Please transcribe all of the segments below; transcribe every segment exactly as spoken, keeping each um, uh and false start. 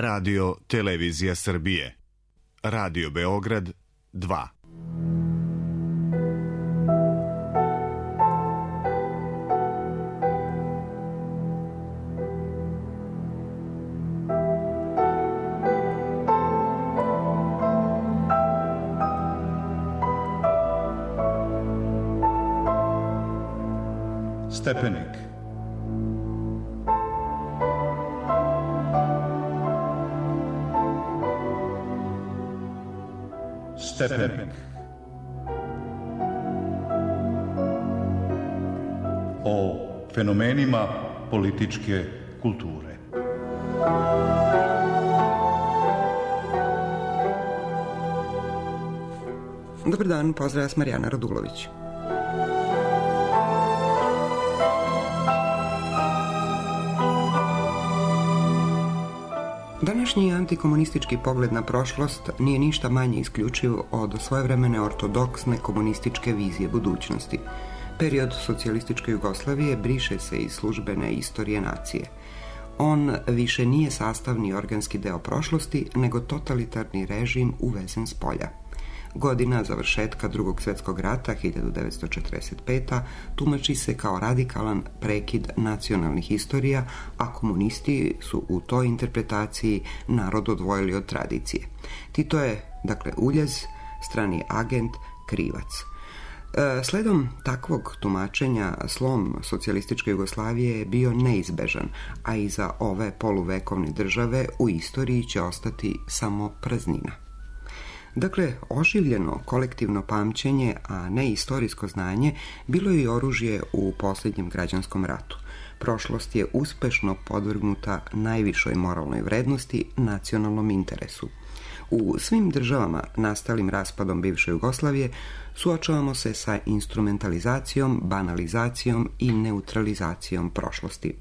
Radio Televizija Srbije. Radio Beograd dva. Stepenik. Stepenik. O fenomenima političke kulture. Dobar dan, pozdrav, ja sam Marijana Radulović. Današnji antikomunistički pogled na prošlost nije ništa manje isključiv od svojevremene ortodoksne komunističke vizije budućnosti. Period socijalističke Jugoslavije briše se iz službene istorije nacije. On više nije sastavni organski deo prošlosti, nego totalitarni režim uvezen s polja. Godina završetka Drugog svjetskog rata, hiljadu devetsto četrdeset peta. tumači se kao radikalan prekid nacionalnih istorija, a komunisti su u toj interpretaciji narod odvojili od tradicije. Tito je, dakle, uljez, strani agent, krivac. E, sledom takvog tumačenja slom socijalističke Jugoslavije je bio neizbežan, a iza ove poluvekovne države u istoriji će ostati samo praznina. Dakle, oživljeno kolektivno pamćenje, a ne istorijsko znanje, bilo je i oružje u posljednjem građanskom ratu. Prošlost je uspešno podvrgnuta najvišoj moralnoj vrednosti, nacionalnom interesu. U svim državama nastalim raspadom bivše Jugoslavije suočavamo se sa instrumentalizacijom, banalizacijom i neutralizacijom prošlosti.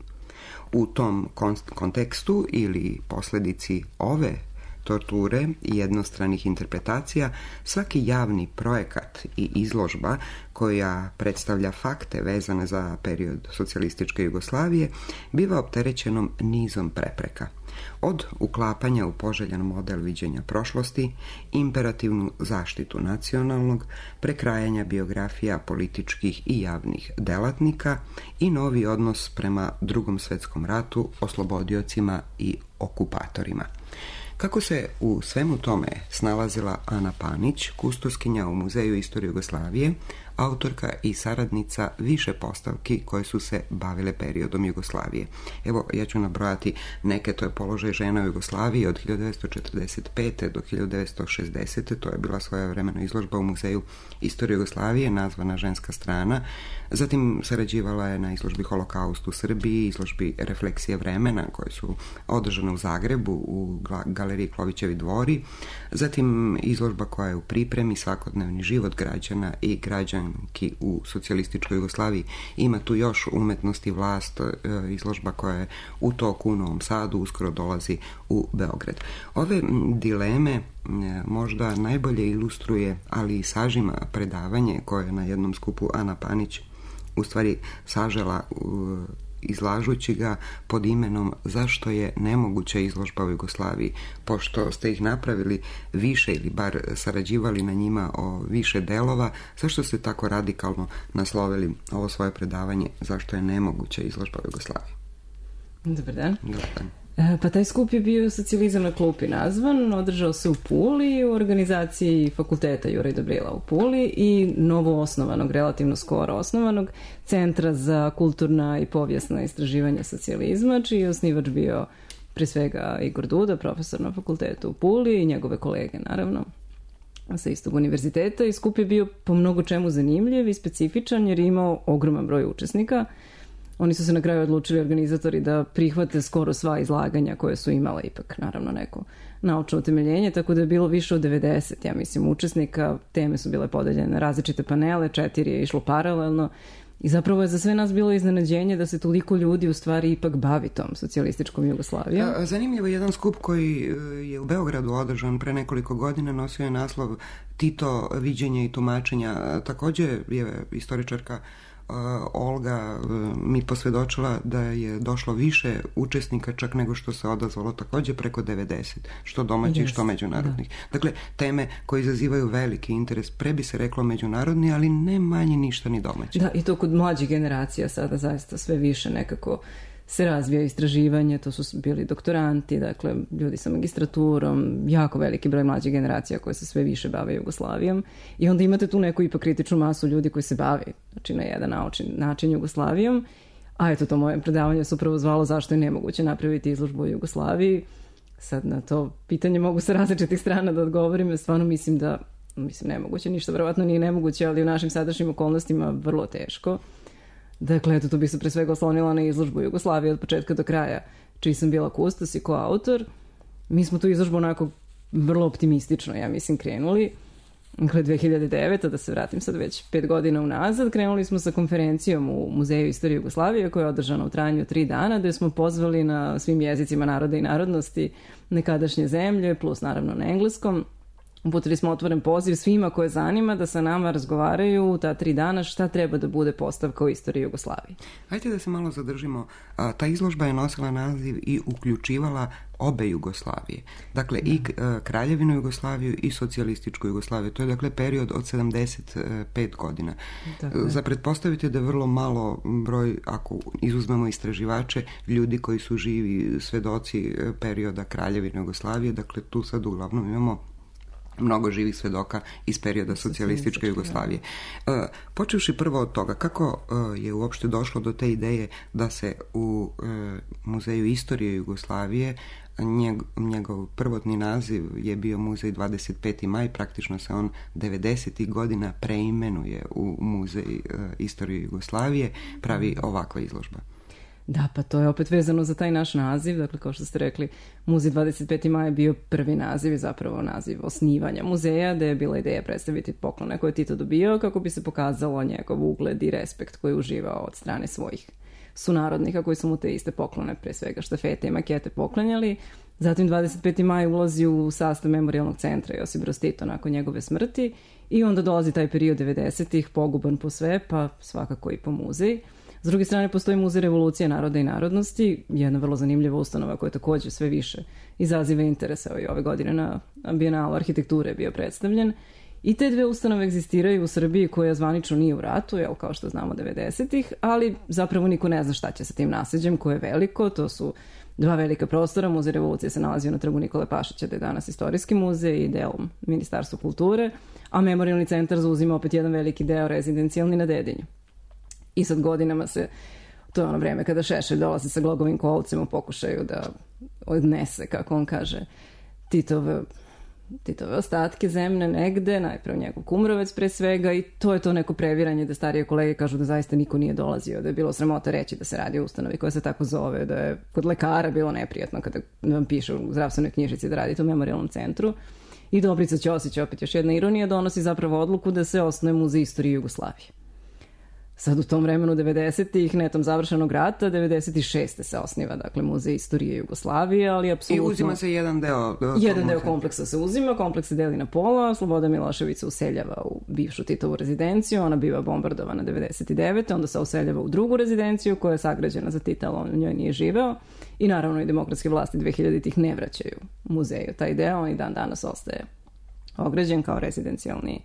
U tom kontekstu ili posljedici ove torture i jednostranih interpretacija, svaki javni projekat i izložba koja predstavlja fakte vezane za period socijalističke Jugoslavije biva opterećenom nizom prepreka. Od uklapanja u poželjan model viđenja prošlosti, imperativnu zaštitu nacionalnog, prekrajanja biografija političkih i javnih delatnika i novi odnos prema Drugom svjetskom ratu, oslobodiocima i okupatorima. Kako se u svemu tome snalazila Ana Panić, kustoskinja u Muzeju istorije Jugoslavije, autorka i saradnica više postavki koje su se bavile periodom Jugoslavije. Evo, ja ću nabrojati neke. To je položaj žena u Jugoslaviji od hiljadu devetsto četrdeset pete do hiljadu devetsto šezdesete. To je bila svojevremena izložba u Muzeju istorije Jugoslavije, nazvana Ženska strana. Zatim sarađivala je na izložbi Holokaust u Srbiji, izložbi Refleksije vremena, koje su održane u Zagrebu u galeriji Klovićevi dvori. Zatim izložba koja je u pripremi, Svakodnevni život građana i građanki u socijalističkoj Jugoslaviji. Ima tu još Umetnost i vlast, izložba koja je u toku u Novom Sadu, uskoro dolazi u Beograd. Ove dileme možda najbolje ilustruje, ali i sažima predavanje koje je na jednom skupu Ana Panić u stvari sažela izlažući ga pod imenom Zašto je nemoguća izložba u Jugoslaviji. Pošto ste ih napravili više ili bar sarađivali na njima o više delova, zašto ste tako radikalno naslovili ovo svoje predavanje Zašto je nemoguća izložba u Jugoslaviji? Dobar dan. Dobar dan. Pa taj skup je bio Socijalizam na klupi nazvan, održao se u Puli u organizaciji fakulteta Juraj Dobrila u Puli i novo osnovanog, relativno skoro osnovanog Centra za kulturna i povijesna istraživanja socijalizma, čiji je osnivač bio pre svega Igor Duda, profesor na fakultetu u Puli i njegove kolege naravno sa istog univerziteta. I skup je bio po mnogo čemu zanimljiv i specifičan jer je imao ogroman broj učesnika. Oni su se na kraju odlučili, organizatori, da prihvate skoro sva izlaganja koje su imala ipak, naravno, neko naučno utemeljenje, tako da je bilo više od devedeset, ja mislim, učesnika. Teme su bile podeljene na različite panele, četiri je išlo paralelno i zapravo je za sve nas bilo iznenađenje da se toliko ljudi u stvari ipak bavi tom socijalističkom Jugoslavijom. Zanimljivo je jedan skup koji je u Beogradu održan pre nekoliko godina, nosio je naslov Tito, viđenje i tumačenja. Također je istoričarka Olga mi posvjedočila da je došlo više učesnika čak nego što se odazvalo, također preko devedeset, što domaćih, yes, što međunarodnih. Da. Dakle, teme koje izazivaju veliki interes, pre bi se reklo međunarodni, ali ne manje ništa ni domaći. Da, i to kod mlađih generacija sada zaista sve više nekako se razvija istraživanje, to su bili doktoranti, dakle ljudi sa magistraturom, jako veliki broj mlađih generacija koje se sve više bave Jugoslavijom i onda imate tu neku ipak kritičnu masu ljudi koji se bave, znači na jedan način, način Jugoslavijom, a eto to moje predavanje se upravo zvalo zašto je nemoguće napraviti izložbu u Jugoslaviji. Sad na to pitanje mogu sa različitih strana da odgovorim, ja stvarno mislim da, mislim nemoguće, ništa verovatno nije nemoguće, ali u našim sadašnjim okolnostima vrlo teško. Dakle, eto, tu bih se pre svega oslonila na izložbu Jugoslavije od početka do kraja, čiji sam bila kustos i koautor. Mi smo tu izložbu onako vrlo optimistično, ja mislim, krenuli. Dakle, dve hiljade devete. da se vratim sad već pet godina unazad, krenuli smo sa konferencijom u Muzeju istorije Jugoslavije, koja je održana u trajanju tri dana, gde smo pozvali na svim jezicima naroda i narodnosti nekadašnje zemlje, plus naravno na engleskom. Uputili smo otvoren poziv svima koje zanima da sa nama razgovaraju ta tri dana šta treba da bude postavka u istoriji Jugoslavije. Hajde da se malo zadržimo. A, ta izložba je nosila naziv i uključivala obe Jugoslavije. Dakle, da. i a, Kraljevinu Jugoslaviju i socijalističku Jugoslaviju. To je dakle period od sedamdeset pet godina. Dakle. Za pretpostaviti da je vrlo malo broj, ako izuzmemo istraživače, ljudi koji su živi svedoci perioda Kraljevine Jugoslavije. Dakle, tu sad uglavnom imamo mnogo živih svedoka iz perioda socijalističke Jugoslavije. Uh, počevši prvo od toga, kako uh, je uopšte došlo do te ideje da se u uh, Muzeju istorije Jugoslavije, njeg, njegov prvotni naziv je bio Muzej dvadeset peti maj, praktično se on devedesetih godina preimenuje u Muzej uh, istorije Jugoslavije, pravi ovakva izložba. Da, pa to je opet vezano za taj naš naziv, dakle kao što ste rekli, Muzej dvadeset peti maj je bio prvi naziv i zapravo naziv osnivanja muzeja, gde je bila ideja predstaviti poklone koje je Tito dobio kako bi se pokazalo njegov ugled i respekt koji je uživao od strane svojih sunarodnika koji su mu te iste poklone, pre svega štafete i makete poklanjali. Zatim dvadeset peti maj ulazi u sastav memorijalnog centra Josip Broz Tito nakon njegove smrti i onda dolazi taj period devedesetih, poguban po sve, pa svakako i po muzej. S druge strane, postoji Muzej revolucije naroda i narodnosti, jedna vrlo zanimljiva ustanova koja također sve više izaziva interesa. I ove godine na Bijenalu arhitekture je bio predstavljen. I te dve ustanove egzistiraju u Srbiji koja zvanično nije u ratu, jel, kao što znamo devedesetih, ali zapravo niko ne zna šta će sa tim nasleđem koje je veliko. To su dva velika prostora. Muzej revolucije se nalazio na trgu Nikole Pašića, da je danas istorijski muzej i delom Ministarstva kulture, a memorijalni centar zauzima opet jedan veliki deo rezidencijalni na Dedinju. I sad godinama se, to je ono vreme kada Šešelj dolazi sa glogovim kolcem u pokušaju da odnese, kako on kaže, Titove, Titove ostatke zemne negde, najprve njegov Kumrovec pre svega, i to je to neko previranje da starije kolege kažu da zaista niko nije dolazio, da je bilo sramota reći da se radi o ustanovi koja se tako zove, da je kod lekara bilo neprijatno kada vam piše u zdravstvenoj knjižici da radite u memorijalnom centru. I Dobrica Ćosić, opet još jedna ironija, donosi zapravo odluku da se osnuje Muzej istorije Jugoslavije. Sad u tom vremenu devedesetih, netom završenog rata, devedeset šeste se osniva, dakle, Muzej istorije Jugoslavije, ali apsolutno... I uzima se jedan deo... Jedan deo kompleksa se uzima, kompleks se deli na pola, Sloboda Milošević se useljava u bivšu Titovu rezidenciju, ona biva bombardovana devedeset devete. onda se useljava u drugu rezidenciju koja je sagrađena za Tita, ali on u njoj nije živeo, i naravno i demokratske vlasti dve hiljaditih ne vraćaju muzeju taj deo, on i dan danas ostaje ograđen kao rezidencijalni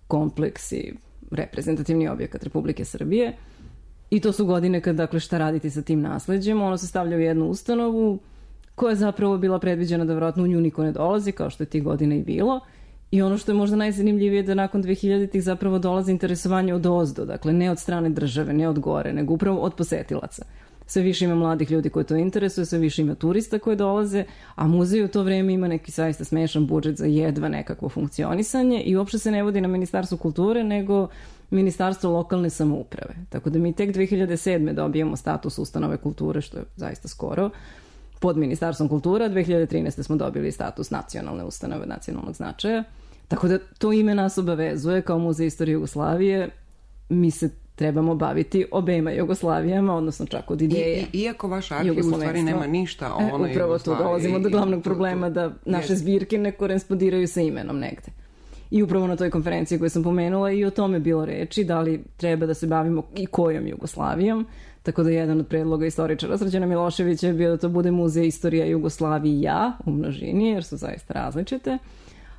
kompleks i reprezentativni objekat Republike Srbije. I to su godine kad, dakle, šta raditi sa tim nasleđem. Ono se stavlja u jednu ustanovu koja je zapravo bila predviđena da vjerojatno u nju niko ne dolazi, kao što je tih godina i bilo. I ono što je možda najzanimljivije da nakon dve hiljaditih zapravo dolazi interesovanje od ozdo, dakle ne od strane države, ne od gore, nego upravo od posetilaca. Sve više ima mladih ljudi koji to interesuje, sve više ima turista koji dolaze, a muzej u to vreme ima neki zaista smešan budžet za jedva nekakvo funkcionisanje i uopšte se ne vodi na Ministarstvo kulture, nego Ministarstvo lokalne samouprave. Tako da mi tek dve hiljade sedme dobijemo status ustanove kulture, što je zaista skoro, pod Ministarstvom kulture, a dve hiljade trinaeste smo dobili status nacionalne ustanove nacionalnog značaja. Tako da to ime nas obavezuje kao Muzej istorije Jugoslavije. Mi se trebamo baviti obema Jugoslavijama, odnosno čak od ideje. I, i, iako vaš arhiv u stvari nema ništa o onoj Jugoslaviji. Upravo tu dolazimo do glavnog problema da naše zbirke ne korespondiraju sa imenom negde. I upravo na toj konferenciji koju sam pomenula i o tome bilo reči, da li treba da se bavimo i kojom Jugoslavijom. Tako da jedan od predloga istoričara Srđana Miloševića je bio da to bude muzej istorija Jugoslavija u množini, jer su zaista različite.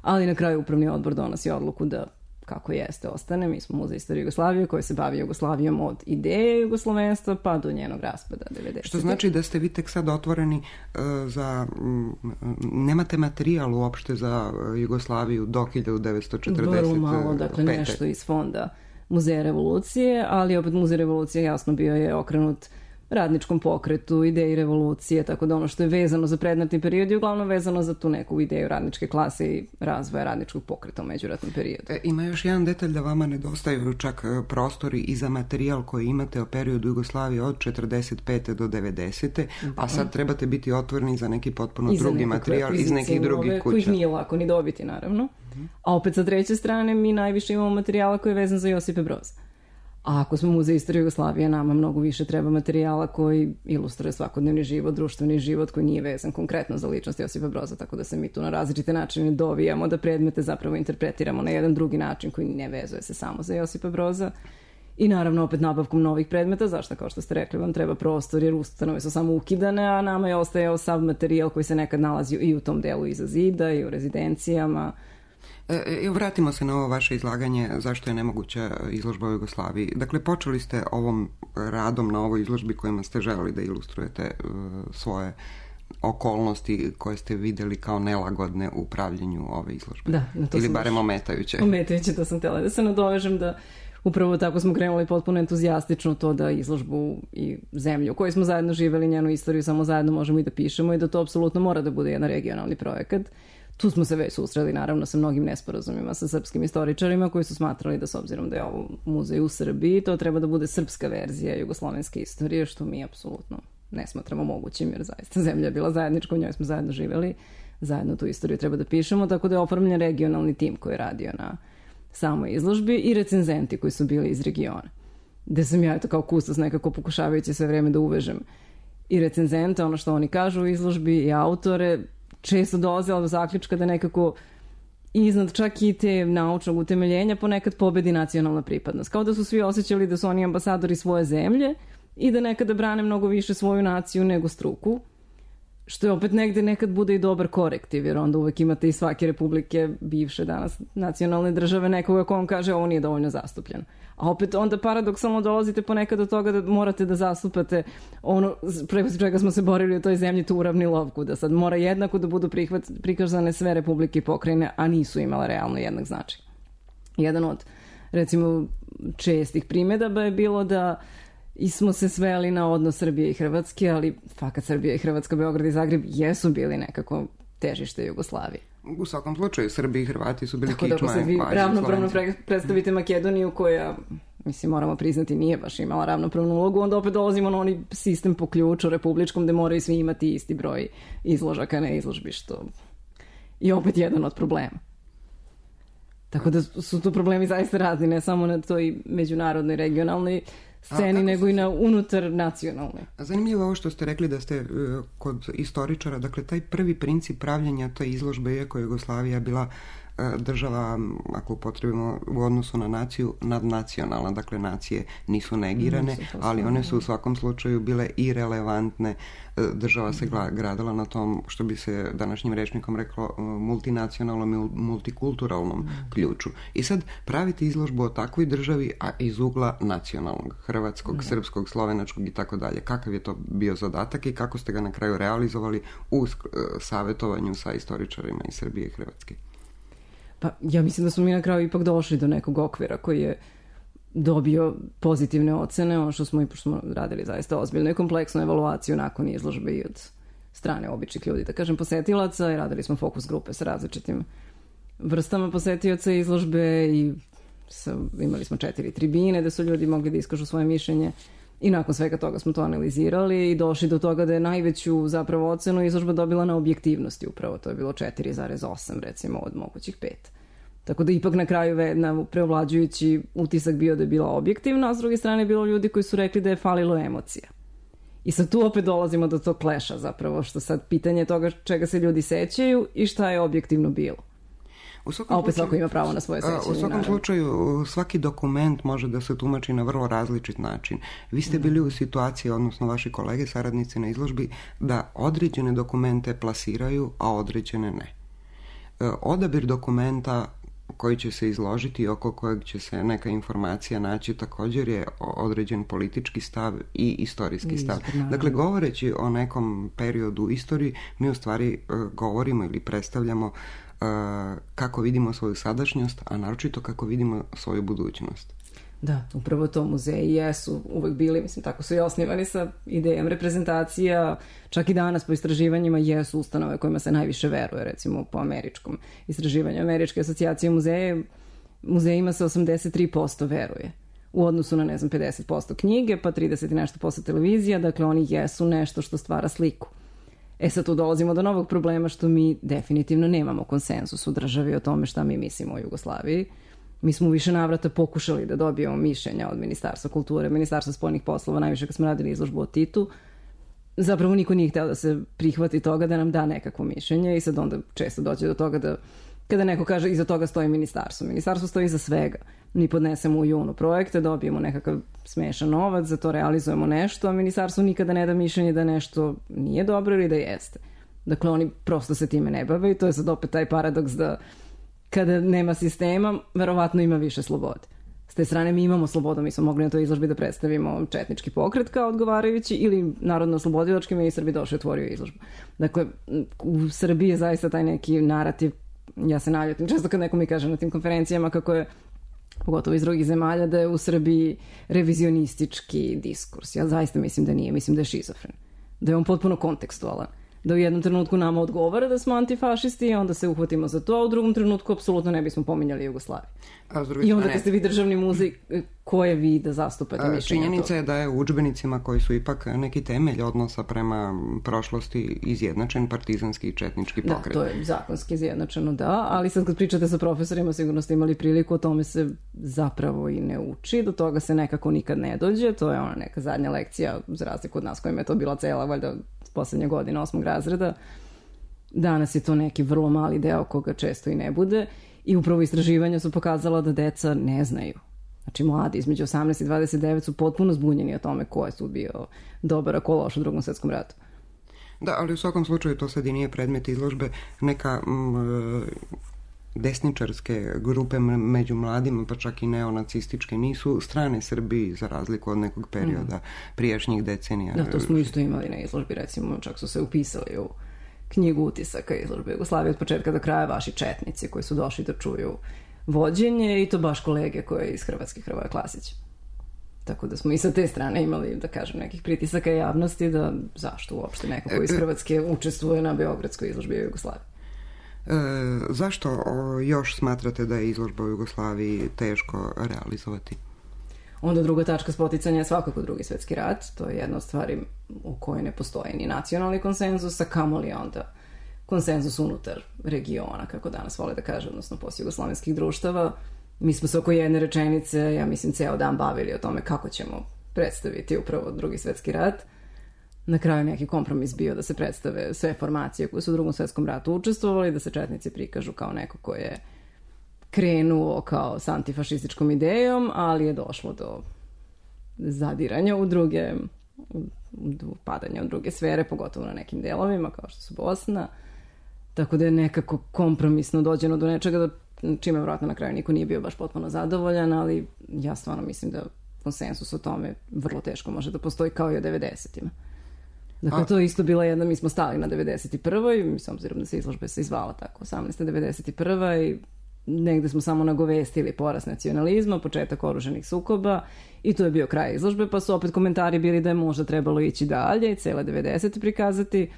Ali na kraju upravni odbor donosi odluku da kako jeste ostane. Mi smo muzej istorije Jugoslavije koji se bavi Jugoslavijom od ideje jugoslovenstva pa do njenog raspada devedesetih. Što znači da ste vi tek sad otvoreni uh, za... Um, nemate materijal uopšte za Jugoslaviju do hiljadu devetsto četrdeset pete. Vrlo malo, dakle nešto iz fonda Muzeja revolucije, ali opet Muzej revolucije jasno bio je okrenut radničkom pokretu, ideji revolucije, tako da ono što je vezano za predratni period je uglavnom vezano za tu neku ideju radničke klase i razvoja radničkog pokreta u međuratnom periodu. E, ima još jedan detalj da vama nedostaju čak prostori i za materijal koji imate o periodu Jugoslavije od četrdeset pete do devedesete. Da. A sad trebate biti otvoreni za neki potpuno I drugi materijal iz nekih drugih kuća. Kojih nije lako ni dobiti, naravno. Uh-huh. A opet sa treće strane mi najviše imamo materijala koji je vezan za Josipa Broza. A ako smo muzej istorije Jugoslavije, nama mnogo više treba materijala koji ilustruje svakodnevni život, društveni život koji nije vezan konkretno za ličnost Josipa Broza, tako da se mi tu na različite načine dovijamo da predmete zapravo interpretiramo na jedan drugi način koji ne vezuje se samo za Josipa Broza. I naravno opet nabavkom novih predmeta, zašto kao što ste rekli vam treba prostor jer ustanove su samo ukidane, a nama je ostajao sav materijal koji se nekad nalazio i u tom delu iza zida i u rezidencijama. E, vratimo se na ovo vaše izlaganje zašto je nemoguća izložba u Jugoslaviji. Dakle, počeli ste ovom radom na ovoj izložbi kojima ste želeli da ilustrujete uh, svoje okolnosti koje ste videli kao nelagodne u pravljenju ove izložbe. Da, na to ili barem ometajuće. Ometajuće, to sam htjela da se nadovežem da upravo tako smo krenuli potpuno entuzijastično to da izložbu i zemlju u kojoj smo zajedno živeli, njenu istoriju samo zajedno možemo i da pišemo i da to apsolutno mora da bude jedan regionalni projekat. Tu smo se već susreli naravno sa mnogim nesporazumima sa srpskim istoričarima koji su smatrali da s obzirom da je ovo muzej u Srbiji, to treba da bude srpska verzija jugoslovenske istorije, što mi apsolutno ne smatramo mogućim, jer zaista zemlja je bila zajednička, u njoj smo zajedno živeli, zajedno tu istoriju treba da pišemo, tako da je oformljen regionalni tim koji je radio na samoj izložbi i recenzenti koji su bili iz regiona. Gde sam ja eto kao kustos nekako pokušavajući sve vreme da uvežem i recenzente, ono što oni kažu u izložbi i autore, često dolazila do zaključka da nekako iznad čak i te naučnog utemeljenja ponekad pobedi nacionalna pripadnost. Kao da su svi osjećali da su oni ambasadori svoje zemlje i da nekada brane mnogo više svoju naciju nego struku, što je opet negde nekad bude i dobar korektiv, jer onda uvek imate i svake republike bivše danas nacionalne države nekoga ko vam kaže ovo nije dovoljno zastupljen. A opet onda paradoksalno dolazite ponekad do toga da morate da zastupate ono preko čega smo se borili u toj zemlji, tu uravnilovku, da sad mora jednako da budu prihvat, prikazane sve republike i pokrajine, a nisu imale realno jednak značaj. Jedan od, recimo, čestih primjedaba je bilo da i smo se sveli na odnos Srbije i Hrvatske, ali fakat Srbija i Hrvatska, Beograd i Zagreb jesu bili nekako težište Jugoslavije. U svakom slučaju, Srbi i Hrvati su bili kičma. Tako da ako se vi ravnopravno predstavite Makedoniju koja, mislim, moramo priznati, nije baš imala ravnopravnu ulogu, onda opet dolazimo na oni sistem po ključu republičkom gde moraju svi imati isti broj izložaka na izložbi, što je opet jedan od problema. Tako da su tu problemi zaista razni, ne samo na toj međunarodnoj, regionalnoj sceni, nego i na unutar nacionalne. Zanimljivo ovo što ste rekli da ste uh, kod istoričara, dakle taj prvi princip pravljenja te izložbe, iako je Jugoslavija bila uh, država, ako upotrebimo u odnosu na naciju, nadnacionalna, dakle nacije nisu negirane, nisu ali one su u svakom slučaju bile i relevantne. Uh, država se gradila na tom, što bi se današnjim rečnikom reklo, uh, multinacionalnom i multikulturalnom mm. ključu. I sad praviti izložbu o takvoj državi, a iz ugla nacionalnog, hrvatskog, mm. srpskog, slovenačkog i tako dalje. Kakav je to bio zadatak i kako ste ga na kraju realizovali u uh, savjetovanju sa istoričarima iz Srbije i Hrvatske? Pa ja mislim da smo mi na kraju ipak došli do nekog okvira koji je dobio pozitivne ocene, ono što smo i pošto smo radili zaista ozbiljnu i kompleksnu evaluaciju nakon izložbe i od strane običnih ljudi, da kažem, posetilaca, i radili smo fokus grupe sa različitim vrstama posetioca izložbe i sa, imali smo četiri tribine da su ljudi mogli da iskažu svoje mišljenje i nakon svega toga smo to analizirali i došli do toga da je najveću zapravo ocenu izložba dobila na objektivnosti, upravo to je bilo četiri zarez osam recimo od mogućih pet. Tako da ipak na kraju na preovlađujući utisak bio da je bila objektivna, a s druge strane je bilo ljudi koji su rekli da je falilo emocija. I sad tu opet dolazimo do tog kleša zapravo, što sad pitanje toga čega se ljudi sećaju i šta je objektivno bilo. A opet svako ima pravo na svoje sećanje. U svakom naravno. slučaju, svaki dokument može da se tumači na vrlo različit način. Vi ste bili u situaciji, odnosno vaši kolege, saradnici na izložbi, da određene dokumente plasiraju, a određene ne. Odabir dokumenta koji će se izložiti, oko kojeg će se neka informacija naći, također je određen politički stav i istorijski stav. Dakle, govoreći o nekom periodu u istoriji, mi u stvari govorimo ili predstavljamo kako vidimo svoju sadašnjost, a naročito kako vidimo svoju budućnost. Da, upravo to muzeji jesu uvek bili, mislim, tako su i osnivani sa idejom reprezentacija, čak i danas po istraživanjima jesu ustanove kojima se najviše veruje, recimo po američkom istraživanju Američke asocijacije muzeje, muzejima se osamdeset tri posto veruje u odnosu na, ne znam, pedeset posto knjige, pa trideset i nešto posto televizija, dakle oni jesu nešto što stvara sliku. E sad tu dolazimo do novog problema što mi definitivno nemamo konsenzus u državi o tome šta mi mislimo o Jugoslaviji. Mi smo u više navrata pokušali da dobijemo mišljenja od Ministarstva kulture, Ministarstva spoljnih poslova, najviše kad smo radili izložbu o Titu. Zapravo niko nije hteo da se prihvati toga da nam da nekakvo mišljenje i sad onda često dođe do toga da kada neko kaže iza toga stoji ministarstvo. Ministarstvo stoji iza svega. Mi podnesemo u junu projekte, dobijemo nekakav smešan novac, za to realizujemo nešto, a ministarstvo nikada ne da mišljenje da nešto nije dobro ili da jeste. Dakle, oni prosto se time ne bave i to je sad opet taj paradoks da kada nema sistema, verovatno ima više slobode. S te strane mi imamo slobodu, mi smo mogli na toj izložbi da predstavimo četnički pokret kao odgovarajući ili narodno-oslobodilački ministar bi došao i otvorio izložbu. Dakle, u Srbiji je zaista taj neki narativ, ja se naljutim često kad neko mi kaže na tim konferencijama kako je, pogotovo iz drugih zemalja, da je u Srbiji revizionistički diskurs. Ja zaista mislim da nije, mislim da je šizofren. Da je on potpuno kontekstualan. Da u jednom trenutku nama odgovara da smo antifašisti i onda se uhvatimo za to, a u drugom trenutku apsolutno ne bismo pominjali Jugoslaviju. I onda kad ste vi državni muzej, ko je vi da zastupate mišljenja to? Činjenica je da je u udžbenicima koji su ipak neki temelj odnosa prema prošlosti izjednačen partizanski i četnički pokret. Da, to je zakonski izjednačeno, da, ali sad kad pričate sa profesorima sigurno ste imali priliku, o tome se zapravo i ne uči, do toga se nekako nikad ne dođe, to je ona neka zadnja lekcija, za razliku od nas kojima je to bila cela, valjda poslednja godina osmog razreda. Danas je to neki vrlo mali deo koga često i ne bude i upravo istraživanja su pokazala da deca ne znaju. Znači mladi između osamnaest i dvadeset devet su potpuno zbunjeni o tome ko je tu bio dobar, a ko loš u Drugom svetskom ratu. Da, ali u svakom slučaju to sad i nije predmet izložbe. Neka m, desničarske grupe među mladima, pa čak i neonacističke, nisu strane Srbiji za razliku od nekog perioda prijašnjih decenija. Da, to smo isto imali na izložbi, recimo, čak su se upisali u knjigu utisaka izložbe Jugoslavije od početka do kraja vaši četnici koji su došli da čuju vođenje i to baš kolege koje iz Hrvatske, Hrvoje Klasić. Tako da smo i sa te strane imali, da kažem, nekih pritisaka javnosti da zašto uopšte neko koji iz Hrvatske učestvuje na Beogradskoj izložbi Jugoslavije. E, zašto o, još smatrate da je izložba u Jugoslaviji teško realizovati? Onda druga tačka spoticanja je svakako Drugi svetski rat. To je jedna od stvari u kojoj ne postoji ni nacionalni konsenzus, a kamoli onda konsenzus unutar regiona, kako danas vole da kaže, odnosno postjugoslavenskih društava. Mi smo se oko jedne rečenice, ja mislim, ceo dan bavili o tome kako ćemo predstaviti upravo Drugi svetski rat. Na kraju neki kompromis bio da se predstave sve formacije koje su u Drugom svetskom ratu učestvovali, da se četnici prikažu kao neko ko je krenuo kao s antifašističkom idejom, ali je došlo do zadiranja u druge, u padanja u druge sfere, pogotovo na nekim delovima, kao što su Bosna. Tako da je nekako kompromisno dođeno do nečega, do čime vjerojatno na kraju niko nije bio baš potpuno zadovoljan, ali ja stvarno mislim da konsensus o tome vrlo teško može da postoji kao i o devedesetima. Dakle, A... to je isto bila jedna, mi smo stali na devedeset prvoj, mi s obzirom da se izložba se izvala tako, osamnaesta devedeset prva i negde smo samo nagovestili porast nacionalizma, početak oruženih sukoba i to je bio kraj izložbe, pa su opet komentari bili da je možda trebalo ići dalje i cele devedesete prikazati,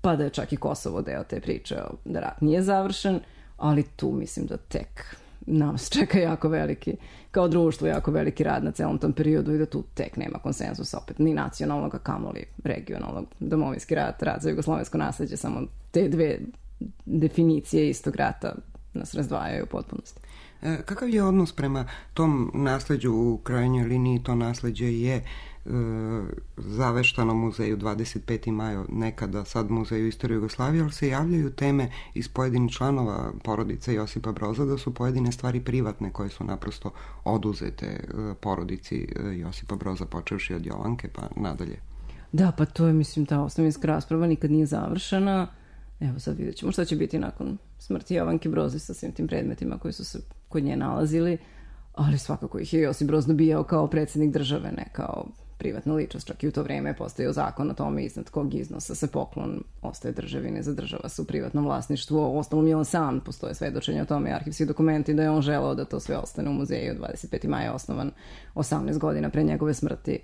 pa da je čak i Kosovo deo te priče da rat nije završen, ali tu mislim da tek nas čeka jako veliki, kao društvo, jako veliki rad na celom tom periodu i da tu tek nema konsenzusa opet, ni nacionalnog, a kamoli regionalnog. Domovinski rat, rat za jugoslovensko nasleđe, samo te dve definicije istog rata nas razdvajaju u potpunosti. E, kakav je odnos prema tom nasleđu u krajnjoj liniji? To nasleđe je zaveštanom muzeju dvadeset peti maj, nekada sad muzeju istorije Jugoslavije, ali se javljaju teme iz pojedinih članova porodice Josipa Broza da su pojedine stvari privatne koje su naprosto oduzete porodici Josipa Broza, počevši od Jovanke pa nadalje. Da, pa to je, mislim, ta ostavinska rasprava nikad nije završena. Evo sad vidjet ćemo šta će biti nakon smrti Jovanke Broza sa svim tim predmetima koji su se kod nje nalazili, ali svakako ih je Josip Broz dobijao kao predsjednik države, ne kao privatna ličnost. Čak i u to vreme je postojao zakon o tome iznad kog iznosa se poklon ostaje državi, ne zadržava se u privatnom vlasništvu. Ostalom je on sam, postoje svedočenje o tome, arhivski dokumenti da je on želeo da to sve ostane u muzeju. dvadeset peti maj je osnovan osamnaest godina pre njegove smrti.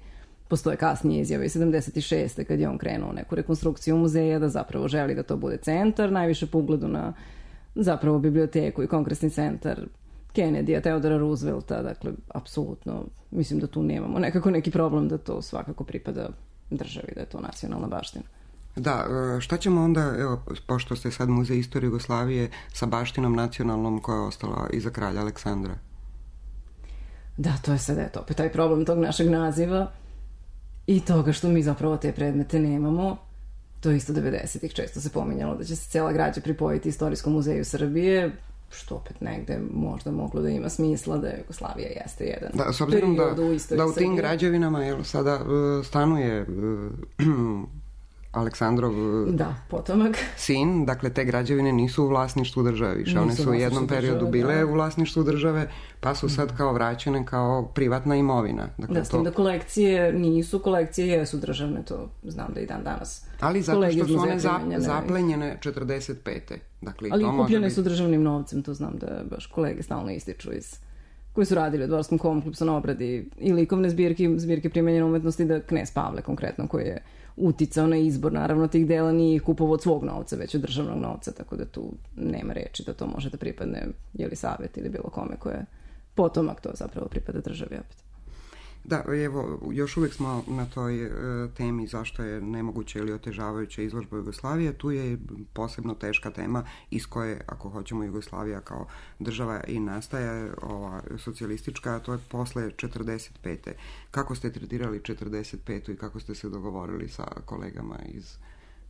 Postoje kasnije izjave iz sedamdeset šeste kad je on krenuo neku rekonstrukciju muzeja, da zapravo želi da to bude centar, najviše po ugledu na zapravo biblioteku i kongresni centar Kennedy-a, Teodora Roosevelta, dakle, apsolutno, mislim da tu nemamo nekako neki problem da to svakako pripada državi, da je to nacionalna baština. Da, šta ćemo onda, evo, pošto ste sad Muzej istorije Jugoslavije, sa baštinom nacionalnom koja je ostala iza kralja Aleksandra? Da, to je sad, eto, opet taj problem tog našeg naziva i toga što mi zapravo te predmete nemamo. To je isto devedesetih često se pominjalo da će se cela građa pripojiti Istorijskom muzeju Srbije, što opet negde možda moglo da ima smisla, da Jugoslavija jeste jedan da, s obzirom period da, u istoriji da u tim Srbije. građevinama jel, sada uh, stanuje uh, Aleksandrov da, potomak. sin, dakle te građevine nisu u vlasništvu države više, one su u jednom periodu bile da. u vlasništvu države, pa su sad kao vraćene kao privatna imovina. Dakle, da, s tim to... da kolekcije nisu, kolekcije jesu državne, to znam da i dan danas. Ali zato što su one za, zaplenjene četrdeset pete. Dakle, ali to kupljene biti... su državnim novcem, to znam da baš kolege stalno ističu iz koji su radili u Dvorskom kompleksu na obradi i likovne zbirke, zbirke primenjene umetnosti, da knez Pavle konkretno koji je uticao na izbor, naravno tih dela nije kupovao od svog novca, već od državnog novca, tako da tu nema reči da to može da pripadne jeli savjet ili bilo kome ko je potomak, to zapravo pripada državi opet. Da, evo, još uvijek smo na toj e, temi zašto je nemoguće ili otežavajuća izložba Jugoslavije. Tu je posebno teška tema iz koje, ako hoćemo, Jugoslavija kao država i nastaje, ova socijalistička, a to je posle četrdeset pete. Kako ste tretirali četrdeset petu i kako ste se dogovorili sa kolegama iz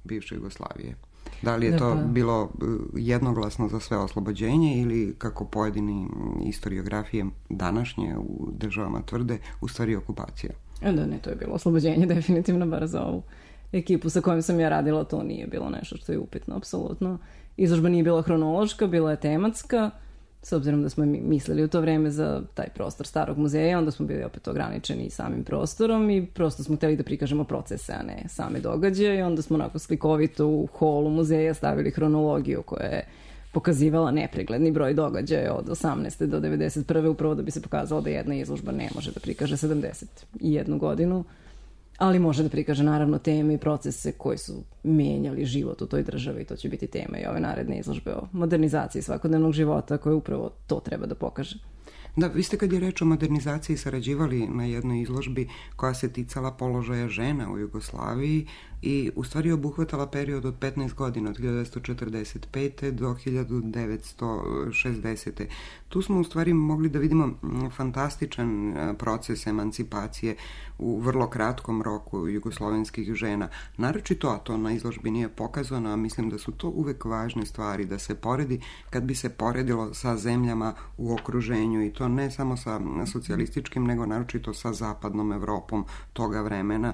bivše Jugoslavije? Da li je to bilo jednoglasno za sve oslobođenje ili, kako pojedini historiografije današnje u državama tvrde, u stvari okupacija? Da, ne, to je bilo oslobođenje definitivno, bar za ovu ekipu sa kojom sam ja radila, to nije bilo nešto što je upitno, apsolutno. Izložba nije bila hronološka, bila je tematska, s obzirom da smo mislili u to vreme za taj prostor starog muzeja, onda smo bili opet ograničeni samim prostorom i prosto smo htjeli da prikažemo procese, a ne same događaje, i onda smo onako slikovito u holu muzeja stavili hronologiju koja je pokazivala nepregledni broj događaja od osamnaeste do devedeset prve upravo da bi se pokazalo da jedna izložba ne može da prikaže sedamdeset jednu godinu, ali može da prikaže naravno teme i procese koji su mijenjali život u toj državi, i to će biti tema i ove naredne izložbe o modernizaciji svakodnevnog života koje upravo to treba da pokaže. Da, vi ste kad je reč o modernizaciji sarađivali na jednoj izložbi koja se ticala položaja žena u Jugoslaviji i u stvari obuhvatala period od petnaest godina, od hiljadu devetsto četrdeset pete do hiljadu devetsto šezdesete. Tu smo u stvari mogli da vidimo fantastičan proces emancipacije u vrlo kratkom roku jugoslovenskih žena. Naročito, a to na izložbi nije pokazano, a mislim da su to uvek važne stvari da se poredi kad bi se poredilo sa zemljama u okruženju, i to ne samo sa socijalističkim, nego naročito sa zapadnom Evropom toga vremena,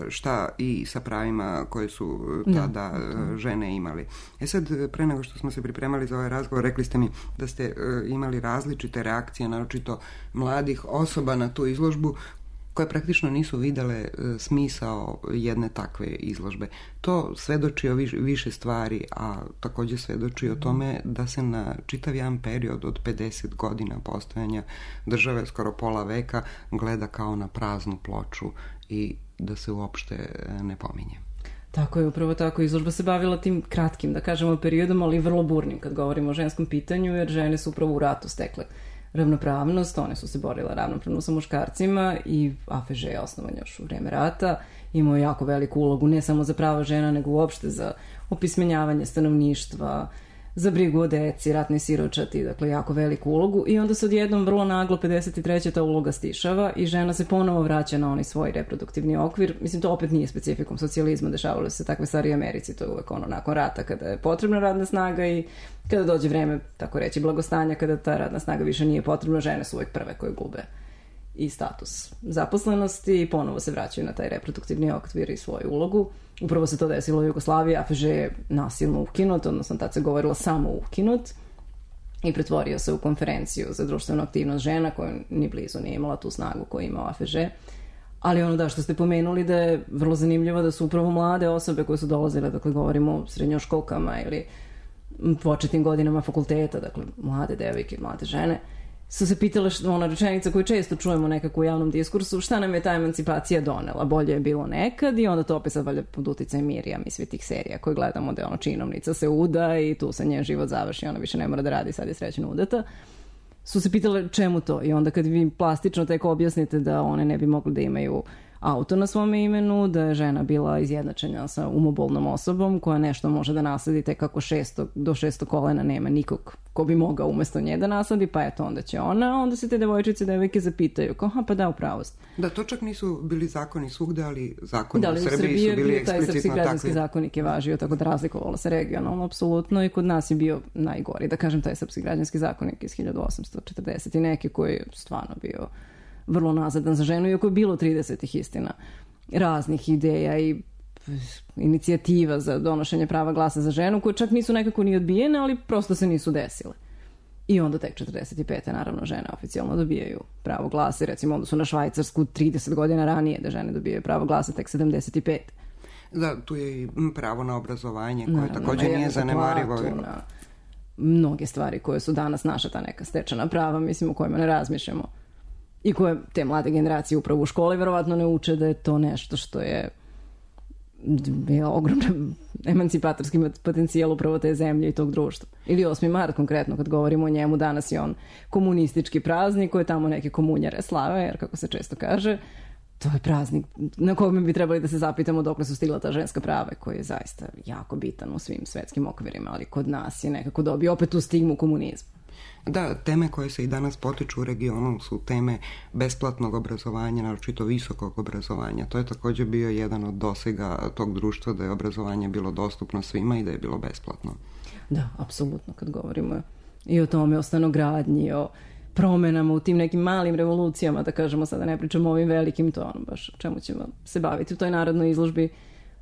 šta i sa pravima koje su tada žene imali. E sad, pre nego što smo se pripremali za ovaj razgovor, rekli ste mi da ste imali različite reakcije, naročito mladih osoba na tu izložbu, koje praktično nisu videle smisao jedne takve izložbe. To svedoči o više stvari, a također svedoči o tome da se na čitav jedan period od pedeset godina postojanja države, skoro pola veka, gleda kao na praznu ploču i da se uopšte ne pominje. Tako je, upravo tako. Izložba se bavila tim kratkim, da kažemo, periodom, ali vrlo burnim kad govorimo o ženskom pitanju, jer žene su upravo u ratu stekle ravnopravnost, one su se borile ravnopravno sa muškarcima i A F Ž je osnovan još u vreme rata, imao jako veliku ulogu ne samo za prava žena, nego uopšte za opismenjavanje stanovništva, za brigu o deci, ratni siročati, dakle jako veliku ulogu i onda se odjednom vrlo naglo pedeset treće ta uloga stišava i žena se ponovo vraća na onaj svoj reproduktivni okvir. Mislim, to opet nije specifikum socijalizma, dešavalo se takve stvari u Americi, to je uvek ono nakon rata kada je potrebna radna snaga i kada dođe vreme, tako reći, blagostanja, kada ta radna snaga više nije potrebna, žene su uvek prve koje gube i status zaposlenosti i ponovo se vraćaju na taj reproduktivni okvir i svoju ulogu. Upravo se to desilo u Jugoslaviji, A F Ž je nasilno ukinut, odnosno tad se govorilo samo ukinut i pretvorio se u konferenciju za društvenu aktivnost žena koja ni blizu nije imala tu snagu koju ima A F Ž. Ali ono da što ste pomenuli da je vrlo zanimljivo da su upravo mlade osobe koje su dolazile, dakle govorimo o srednjoškolkama ili početnim godinama fakulteta, dakle mlade devojke, mlade žene, su se pitale što, ona rečenica koju često čujemo nekako u javnom diskursu, šta nam je ta emancipacija donela, bolje je bilo nekad i onda to opet sad valjda pod uticajem Mirjam i svi tih serija koje gledamo da je ono činovnica se uda i tu se njen život završi, ona više ne mora da radi, sad je srećno udata. Su se pitale čemu to i onda kad vi plastično tek objasnite da one ne bi mogli da imaju auto na svome imenu, da je žena bila izjednačena sa umobolnom osobom koja nešto može da nasledi tek kako šesto, do šesto kolena nema nikog ko bi mogao umesto nje da nasledi, pa eto onda će ona, onda se te devojčice, devojke zapitaju, kao, ha pa da, upravost. Da, to čak nisu bili zakoni svugde, ali zakoni da, u Srbiji, Srbiji su bili eksplicitno takvi. Da, taj srpski građanski zakonik je važio, tako da razlikovalo se regionalno, apsolutno, i kod nas je bio najgori, da kažem, taj srpski građanski zakonik iz hiljadu osamsto četrdeset i neki koji je stvarno bio vrlo nazadan za ženu, iako je bilo tridesetih istina raznih ideja i inicijativa za donošenje prava glasa za ženu, koje čak nisu nekako ni odbijene, ali prosto se nisu desile. I onda tek četrdeset pete naravno žene oficijalno dobijaju pravo glasa, recimo onda su na Švajcarsku trideset godina ranije da žene dobijaju pravo glasa tek sedamdeset pet. Da, tu je i pravo na obrazovanje koje naravno, također nije zanemarivo. Na mnoge stvari koje su danas naša ta neka stečena prava, mislim, o kojima ne razmišljamo. I koje te mlade generacije upravo u školi verovatno ne uče da je to nešto što je bio ogroman emancipatorski potencijal upravo te zemlje i tog društva. Ili osmi mart konkretno, kad govorimo o njemu, danas je on komunistički praznik koje tamo neke komunjare slave, jer kako se često kaže, to je praznik na kojom bi trebali da se zapitamo dokle su stigla ta ženska prava, koji je zaista jako bitan u svim svetskim okvirima, ali kod nas je nekako dobio opet tu stigmu komunizma. Da, teme koje se i danas potiču u regionu su teme besplatnog obrazovanja, naročito visokog obrazovanja. To je također bio jedan od dosega tog društva, da je obrazovanje bilo dostupno svima i da je bilo besplatno. Da, apsolutno, kad govorimo i o tome, o stanogradnji, o promenama u tim nekim malim revolucijama, da kažemo sada, ne pričamo o ovim velikim, to ono baš čemu ćemo se baviti u toj narodnoj izložbi.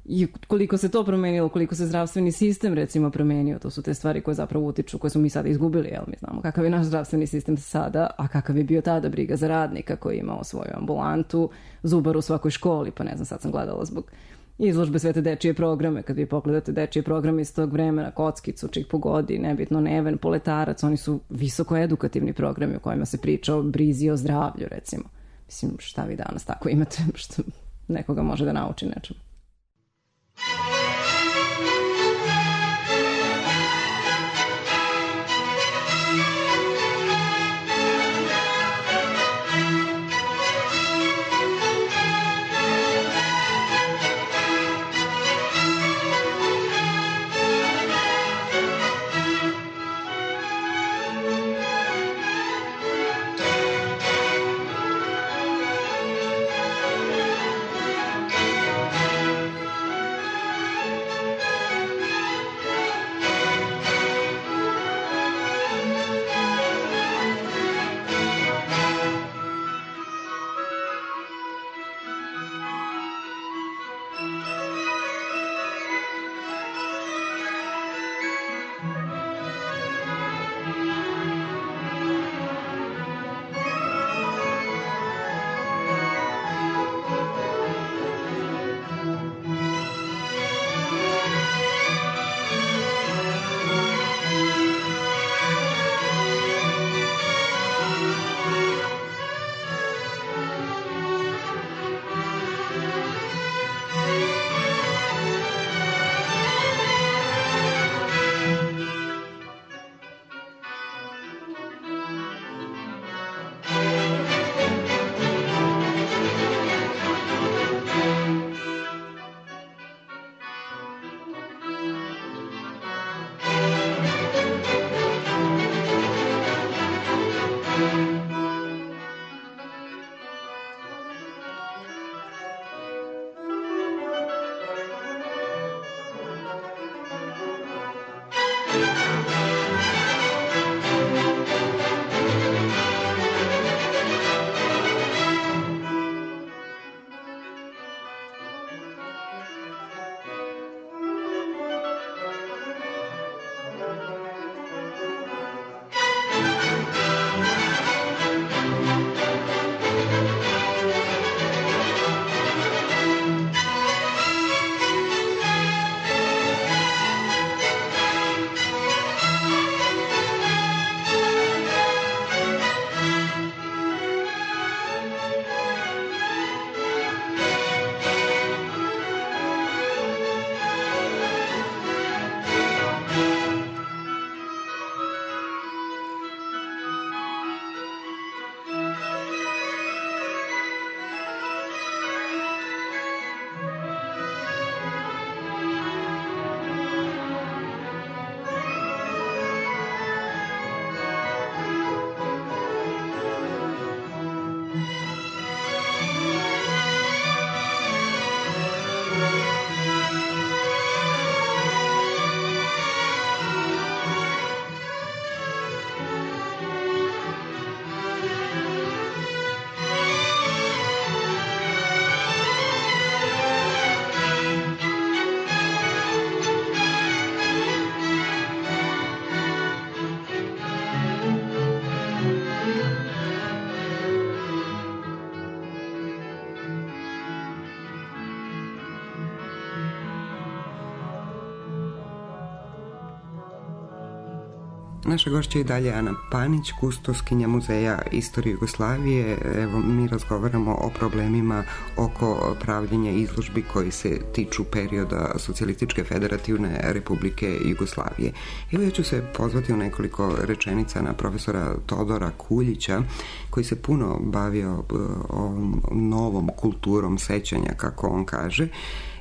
I koliko se to promenilo, koliko se zdravstveni sistem recimo promenio, to su te stvari koje zapravo utiču, koje smo mi sada izgubili, jel mi znamo kakav je naš zdravstveni sistem sada, a kakav je bio tada briga za radnika koji je imao svoju ambulantu, zubar u svakoj školi, pa ne znam, sad sam gledala zbog izložbe sve te dečije programe, kad vi pogledate dečije programe iz tog vremena, Kockicu, Čik pogodi, nebitno Neven, Poletarac, oni su visoko edukativni programi u kojima se priča o brizi o zdravlju, recimo. Mislim, šta vi danas tako imate što nekoga može da nauči nečemu. Naša gošća je i dalje Ana Panić, kustoskinja Muzeja istorije Jugoslavije. Evo, mi razgovaramo o problemima oko pravljenja izložbi koji se tiču perioda Socijalističke federativne Republike Jugoslavije. Evo, ja ću se pozvati u nekoliko rečenica na profesora Todora Kuljića, koji se puno bavio ovom novom kulturom sećanja, kako on kaže.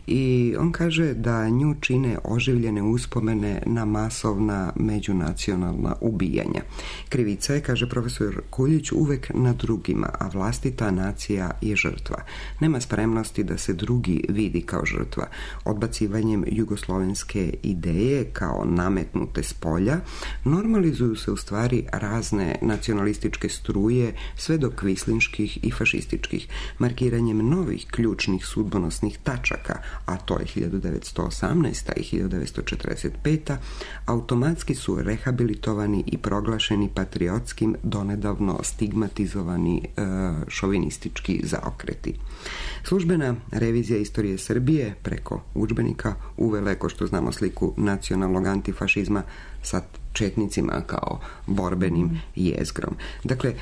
I on kaže da nju čine oživljene uspomene na masovna međunacionalna ubijanja. Krivica je, kaže profesor Kuljić, uvek na drugima, a vlastita nacija je žrtva. Nema spremnosti da se drugi vidi kao žrtva. Odbacivanjem jugoslovenske ideje kao nametnute s polja normalizuju se u stvari razne nacionalističke struje, sve do kvislinških i fašističkih. Markiranjem novih ključnih sudbonosnih tačaka, a to je hiljadu devetsto osamnaesta. i hiljadu devetsto četrdeset peta. automatski su rehabilitovani i proglašeni patriotskim, donedavno stigmatizovani e, šovinistički zaokreti. Službena revizija istorije Srbije preko udžbenika uvela je, ko što znamo, sliku nacionalnog antifašizma sa četnicima kao borbenim jezgrom. Dakle, e,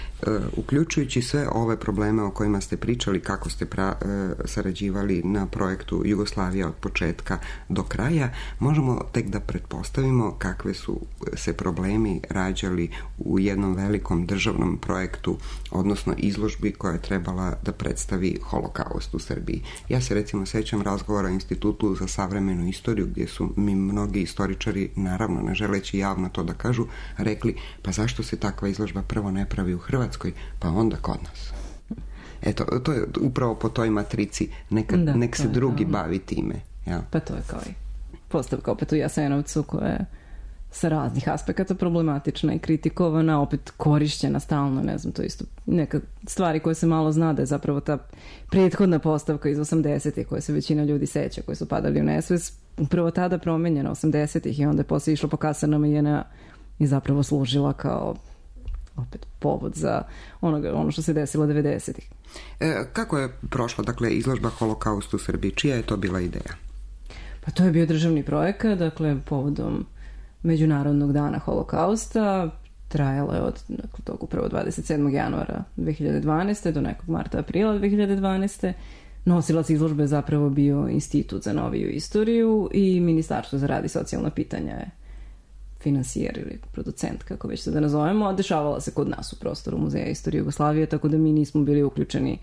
uključujući sve ove probleme o kojima ste pričali, kako ste pra, e, sarađivali na projektu Jugoslavija od početka do kraja, možemo tek da pretpostavimo kakve su se problemi rađali u jednom velikom državnom projektu, odnosno izložbi koja je trebala da predstavi holokaust u Srbiji. Ja se recimo sećam razgovora o Institutu za savremenu istoriju, gdje su mi mnogi istoričari, naravno ne želeći javno to da kažu, rekli, pa zašto se takva izložba prvo ne pravi u Hrvatskoj, pa onda kod nas. Eto, to je upravo po toj matrici, neka, da, nek se drugi to bavi time. Ja. Pa to je kao i postavka opet u Jasenovcu, koja je sa raznih aspekata problematična i kritikovana, opet korišćena stalno, ne znam, to isto neka stvari koje se malo zna, da je zapravo ta prethodna postavka iz osamdesetih koje se većina ljudi seća, koje su padali u nesvest, upravo tada promenjena osamdesetih i onda je posle išlo po kasarnama i J N A i zapravo služila kao opet povod za onoga, ono što se desilo devedesetih. E, kako je prošla, dakle, izložba Holokaust u Srbiji? Čija je to bila ideja? Pa to je bio državni projekat, dakle, povodom Međunarodnog dana holokausta. Trajala je od dakle, tog upravo dvadeset sedmog januara dve hiljade dvanaeste. do nekog marta aprila dve hiljade dvanaeste. Nosilac izložbe je zapravo bio Institut za noviju istoriju i Ministarstvo za rad i socijalna pitanja je finansijer ili producent, kako već se da nazovemo, a dešavala se kod nas u prostoru Muzeja istorije Jugoslavije, tako da mi nismo bili uključeni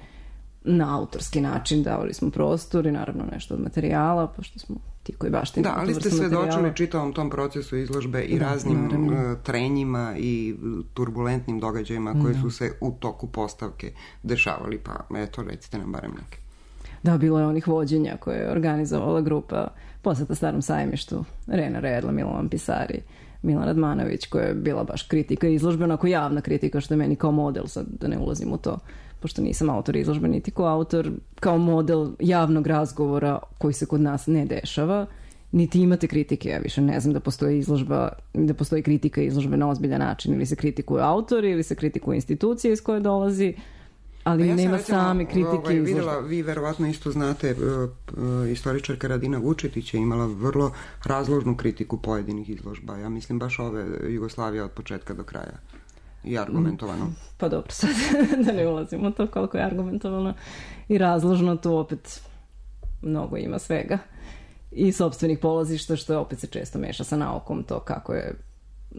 na autorski način, davali smo prostor i naravno nešto od materijala, pošto smo ti koji baštini. Da, ali ste svedočili čitavom tom procesu izložbe i da, raznim naravno. trenjima i turbulentnim događajima koji da. su se u toku postavke dešavali, pa eto, recite nam barem neke. Da, bilo je onih vođenja koje je organizovala grupa Poseta Starom sajmištu, Rena Redla, Milovan Pisari, Milan Radmanović, koja je bila baš kritika izložbe, onako javna kritika, što je meni kao model, sad da ne ulazim u to, pošto nisam autor izložbe niti ko autor, kao model javnog razgovora koji se kod nas ne dešava, niti imate kritike. Ja više ne znam da postoji izložba, da postoji kritika izložbe na ozbiljan način, ili se kritikuje autor, ili se kritikuje institucije iz koje dolazi, ali ja nema recimo, same kritike ovaj, izložbe. Videla, vi verovatno isto znate, uh, uh, istoričarka Radina Vučetić je imala vrlo razložnu kritiku pojedinih izložba. Ja mislim baš ove Jugoslavija od početka do kraja. I argumentovano. Pa dobro, sad da ne ulazimo u to koliko je argumentovano i razložno, tu opet mnogo ima svega. I sopstvenih polazišta, što je opet se često meša sa naukom, to kako je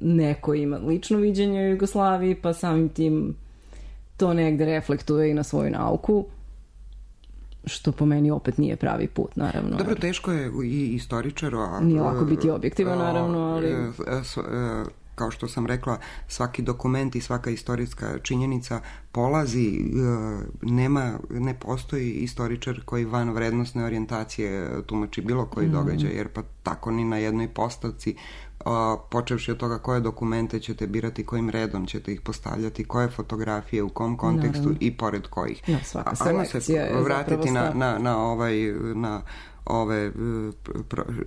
neko ima lično viđenje u Jugoslaviji, pa samim tim to negde reflektuje i na svoju nauku, što po meni opet nije pravi put, naravno. Dobro, teško je i istoričaru, a nije lako biti objektivan, naravno, ali kao što sam rekla, svaki dokument i svaka istorijska činjenica polazi, nema, ne postoji istoričar koji van vrednostne orijentacije tumači bilo koji mm. događaj, jer pa tako ni na jednoj postavci, počevši od toga koje dokumente ćete birati, kojim redom ćete ih postavljati, koje fotografije, u kom kontekstu naravno. I pored kojih. No, svaka selekcija je vratiti na, na, na ovaj, na ove,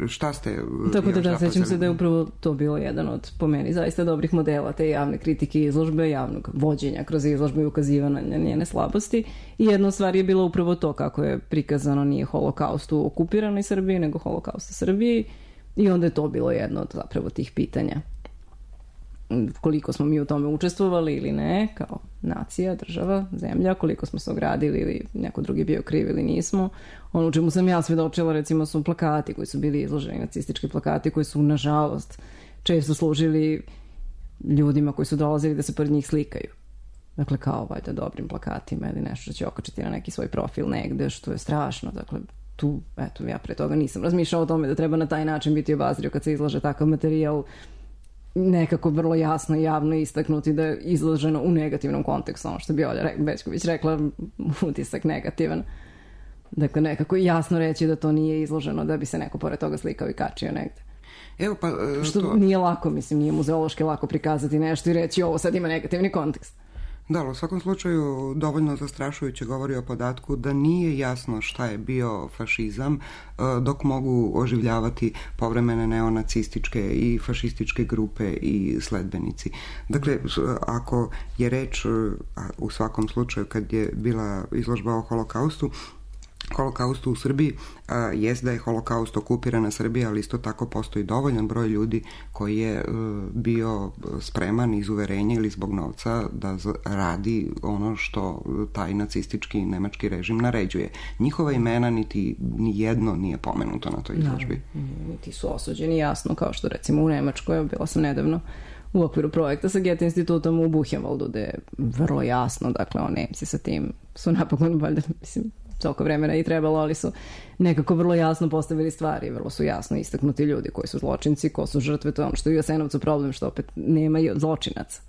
šta ste... Tako da, da, sećam se da je upravo to bilo jedan od, po meni, zaista dobrih modela te javne kritike izložbe, javnog vođenja kroz izložbe i ukazivanja na njene slabosti. I jedna stvar je bilo upravo to kako je prikazano, nije holokaust u okupiranoj Srbiji, nego holokaust u Srbiji. I onda je to bilo jedno od zapravo tih pitanja. koliko smo mi u tome učestvovali ili ne, kao nacija, država, zemlja, koliko smo se ogradili ili neko drugi bio kriv ili nismo. Ono u čemu sam ja svjedočila, recimo, su plakati koji su bili izloženi, nacistički plakati koji su, nažalost, često služili ljudima koji su dolazili da se pored njih slikaju. Dakle, kao valjda dobrim plakatima ili nešto što će okačiti na neki svoj profil negde, što je strašno. Dakle, tu, eto, ja pre toga nisam razmišljala o tome da treba na taj način biti obazrio kad se izlaže takav materijal, nekako vrlo jasno i javno istaknuti da je izloženo u negativnom kontekstu, ono što bi Olja Bećković rekla, utisak negativan. Dakle, nekako jasno reći da to nije izloženo da bi se neko pored toga slikao i kačio negde. Evo pa, uh, što to... nije lako, mislim, nije muzeološki lako prikazati nešto i reći ovo sad ima negativni kontekst. Da, u svakom slučaju dovoljno zastrašujuće govori o podatku da nije jasno šta je bio fašizam, dok mogu oživljavati povremene neonacističke i fašističke grupe i sledbenici. Dakle, ako je reč, u svakom slučaju kad je bila izložba o holokaustu, holokaustu u Srbiji, a, jest da je holokaust okupirana Srbija, ali isto tako postoji dovoljan broj ljudi koji je a, bio spreman iz uverenja ili zbog novca da z- radi ono što taj nacistički nemački režim naređuje. Njihova imena niti ni jedno nije pomenuto na toj izložbi. Da, niti su osuđeni jasno, kao što recimo u Nemačkoj, bila sam nedavno u okviru projekta sa Goethe institutom u Buchenwaldu, gde je vrlo jasno, dakle, o Nemci sa tim su napokon, valjda, mislim, toliko vremena i trebalo, ali su nekako vrlo jasno postavili stvari, vrlo su jasno istaknuti ljudi koji su zločinci, ko su žrtve, to je ono što je u Jasenovcu problem, što opet nema i zločinaca.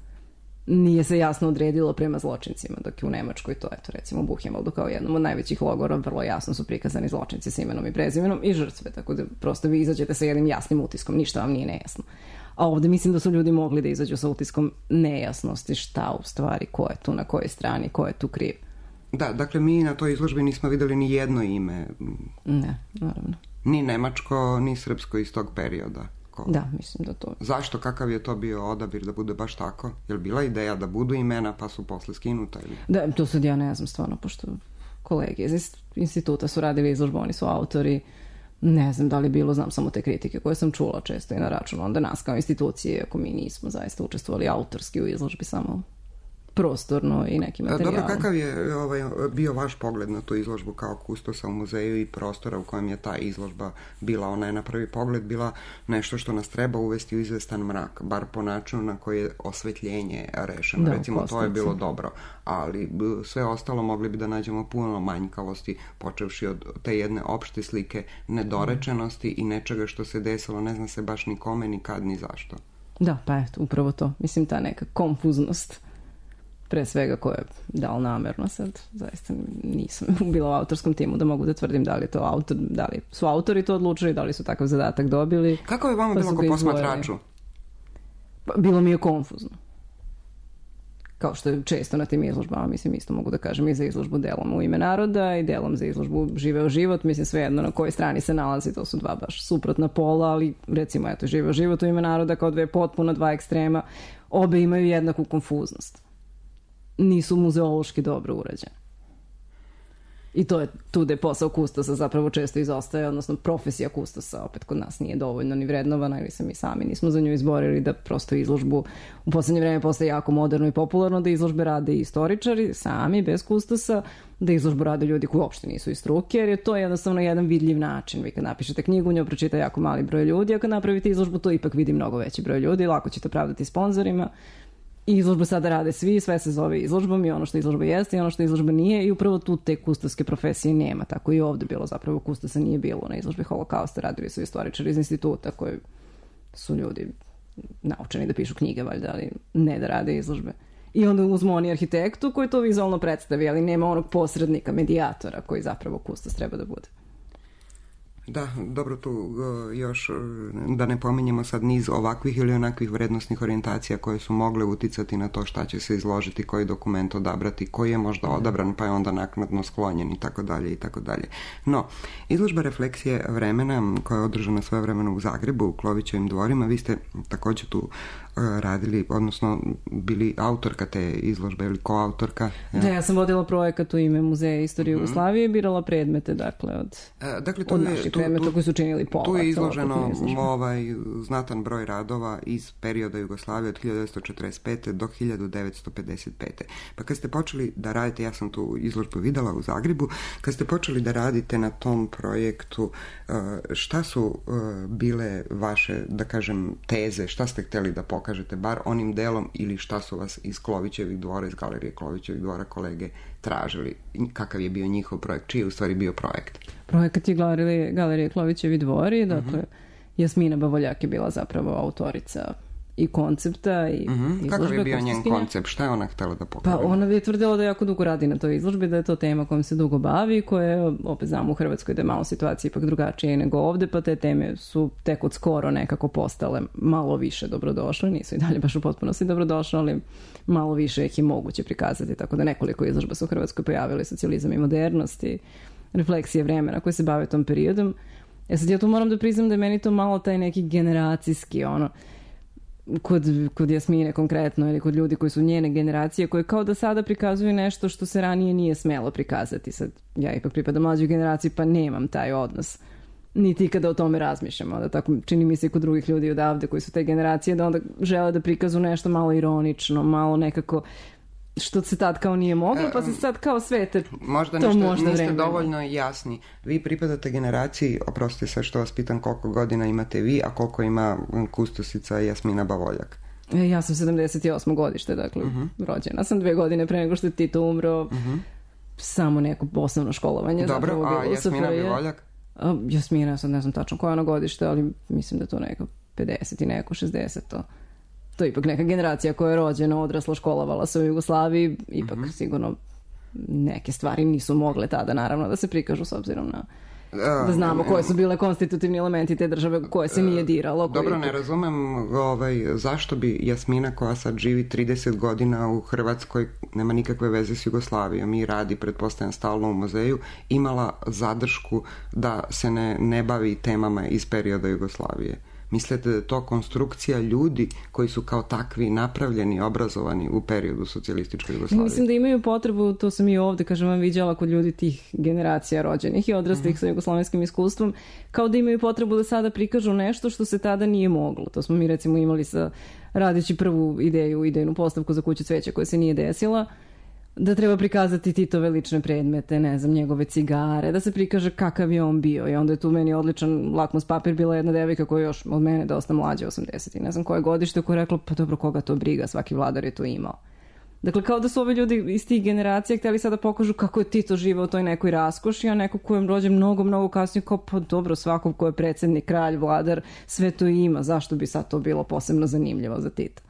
Nije se jasno odredilo prema zločincima, dok je u Nemačkoj to, eto, recimo u Buchenwaldu kao jednom od najvećih logora, vrlo jasno su prikazani zločinci sa imenom i prezimenom i žrtve, tako da prosto vi izađete sa jednim jasnim utiskom, ništa vam nije nejasno. A ovde mislim da su ljudi mogli da izađu sa utiskom nejasnosti, šta u stvari, ko je tu na kojoj strani, ko je tu kriv. Da, dakle, mi na toj izložbi nismo videli ni jedno ime. Ne, naravno. Ni nemačko, ni srpsko iz tog perioda. Ko? Da, mislim da to... Zašto, kakav je to bio odabir da bude baš tako? Je li bila ideja da budu imena pa su posle skinuta? Ili? Da, to sad ja ne znam stvarno, pošto kolege iz instituta su radili izložbu, oni su autori, ne znam da li bilo, znam samo te kritike koje sam čula često i na račun onda nas kao institucije, ako mi nismo zaista učestvovali autorski u izložbi, samo prostorno i neki materijal. Dobro, kakav je ovaj, bio vaš pogled na tu izložbu kao kustosa u muzeju i prostora u kojem je ta izložba bila? Ona je na prvi pogled bila nešto što nas treba uvesti u izvestan mrak, bar po načinu na koji je osvetljenje rešeno. Da, recimo, to je bilo dobro, ali sve ostalo mogli bi da nađemo puno manjkavosti, počevši od te jedne opšte slike nedorečenosti i nečega što se desilo, ne zna se baš ni kome, ni kad, ni zašto. Da, pa eto, upravo to. Mislim, ta neka konfuznost, pre svega koja je dal namerno sad, zaista nisam bila u autorskom timu da mogu da tvrdim da li to autor, da li su autori to odlučili, da li su takav zadatak dobili. Kako je vama pa bilo ko posmatraču? Pa, bilo mi je konfuzno. Kao što je često na tim izložbama, mislim, isto mogu da kažem i za izložbu delom u ime naroda i delom za izložbu Živeo život, mislim, svejedno na kojoj strani se nalazi, to su dva baš suprotna pola, ali recimo, eto, Živeo život u ime naroda kao dve potpuno dva ekstrema, obe imaju jednaku konfuznost. Nisu muzeološki dobro urađene. I to je tu da je posao kustosa zapravo često izostaje, odnosno profesija kustosa opet kod nas nije dovoljno ni vrednovana ili se mi sami nismo za nju izborili, da prosto izložbu u poslednje vreme postaje jako moderno i popularno, da izložbe rade i istoričari sami, bez kustosa, da izložbu rade ljudi koji uopšte nisu iz struke, jer je to jednostavno jedan vidljiv način. Vi kad napišete knjigu, u njoj pročita jako mali broj ljudi, a kad napravite izložbu, to ipak vidi mnogo veći broj ljudi, lako ćete pravdati sponzorima. I izložbu sada rade svi, sve se zove izložbom i ono što izložba jeste i ono što izložba nije i upravo tu te kustoske profesije nema. Tako i ovde bilo zapravo kustosa nije bilo na izložbi holokausta, radili su istoričari iz instituta koji su ljudi naučeni da pišu knjige, valjda, ali ne da rade izložbe. I onda uzmo oni arhitektu koji to vizualno predstavi, ali nema onog posrednika, medijatora koji zapravo kustos treba da bude. Da, dobro, tu još da ne pominjemo sad niz ovakvih ili onakvih vrednostnih orijentacija koje su mogle uticati na to šta će se izložiti, koji dokument odabrati, koji je možda odabran pa je onda naknadno sklonjen i tako dalje i tako dalje. No, izložba refleksije vremena koja je održana svojevremeno u Zagrebu u Klovićevim dvorima, vi ste također tu radili, odnosno bili autorka te izložbe ili koautorka. Ja. Da, ja sam vodila projekat u ime Muzeja istorije Jugoslavije i birala predmete, dakle, od, dakle, to od je, naših Znači, tu, predmeta tu, koji su činili pola. Tu je izloženo ovaj znatan broj radova iz perioda Jugoslavije od hiljadu devetsto četrdeset pete do hiljadu devetsto pedeset pete. Pa kad ste počeli da radite, ja sam tu izložbu videla u Zagrebu, kad ste počeli da radite na tom projektu, šta su bile vaše, da kažem, teze, šta ste hteli da pokažete, bar onim delom, ili šta su vas iz Klovićevih dvora, iz Galerije Klovićevih dvora kolege tražili? Kakav je bio njihov projekt? Čiji je u stvari bio projekt? Projekat je Galerije, Galerije Klovićevi dvori, dakle, uh-huh. Jasmina Bavoljak je bila zapravo autorica i koncepta i uh-huh. izložbe. Kakav je bio njen koncept? Šta je ona htela da pokaže? Pa ona je tvrdila da jako dugo radi na toj izložbi, da je to tema kojom se dugo bavi, koja je, opet znamo u Hrvatskoj da je malo situacija ipak drugačije nego ovde, pa te teme su tek od skoro nekako postale malo više dobrodošle, nisu i dalje baš u potpunosti dobrodošle, ali malo više ih je moguće prikazati, tako da nekoliko izložba su u Hrvatskoj pojavili, socijalizam i modernost i refleksije vremena koje se bave tom periodom. Ja sad ja tu moram da priznam da je meni to malo taj neki generacijski, ono, kod, kod Jasmine konkretno ili kod ljudi koji su njene generacije, koje kao da sada prikazuju nešto što se ranije nije smelo prikazati. Sad ja ipak pripadam mlađoj generaciji pa nemam taj odnos. Niti kada o tome razmišljamo. Da tako čini mi se i kod drugih ljudi odavde koji su te generacije, da onda žele da prikazu nešto malo ironično, malo nekako što se tad kao nije moglo, pa se sad kao svete možda to nešto, možda niste vremena. Dovoljno jasni. Vi pripadate generaciji, oprostite sve što vas pitam, koliko godina imate vi, a koliko ima kustosica Jasmina Bavoljak? E, ja sam sedamdeset osmo godište, dakle, uh-huh. rođena sam dve godine pre nego što je Tito umro, uh-huh. samo neko osnovno školovanje. Dobro, a Jasmina Bavoljak? A, Jasmina, sad ne znam tačno koja ono godište, ali mislim da to neko pedeset i neko šezdeset. To je ipak neka generacija koja je rođena, odrasla, školovala se u Jugoslaviji, ipak mm-hmm. sigurno neke stvari nisu mogle tada naravno da se prikažu s obzirom na da znamo koje su bile konstitutivni elementi te države koje se nije diralo. Dobro, ne razumem ovaj, zašto bi Jasmina koja sad živi trideset godina u Hrvatskoj, nema nikakve veze s Jugoslavijom i radi, pretpostavljam, stalno u muzeju, imala zadršku da se ne, ne bavi temama iz perioda Jugoslavije. Mislite da je to konstrukcija ljudi koji su kao takvi napravljeni, obrazovani u periodu socijalističke Jugoslavije? Mislim da imaju potrebu, to sam i ovde, kažem vam, viđala kod ljudi tih generacija rođenih i odraslih mm. sa jugoslovenskim iskustvom, kao da imaju potrebu da sada prikažu nešto što se tada nije moglo. To smo mi recimo imali sa radeći prvu ideju, idejnu postavku za Kuću cveća koja se nije desila, da treba prikazati Titove lične predmete, ne znam, njegove cigare, da se prikaže kakav je on bio. I onda je tu meni odličan lakmus papir, bila jedna devojka koja je još od mene dosta mlađa, osamdeset i ne znam koje godište, koja je rekla, pa dobro, koga to briga, svaki vladar je to imao. Dakle, kao da su ovi ljudi iz tih generacija htjeli sada pokažu kako je Tito živeo u toj nekoj raskoši, a neko ko je rođen mnogo, mnogo kasnije, kao pa dobro, svakog ko je predsjednik, kralj, vladar, sve to ima, zašto bi sad to bilo posebno zanimljivo za Tita?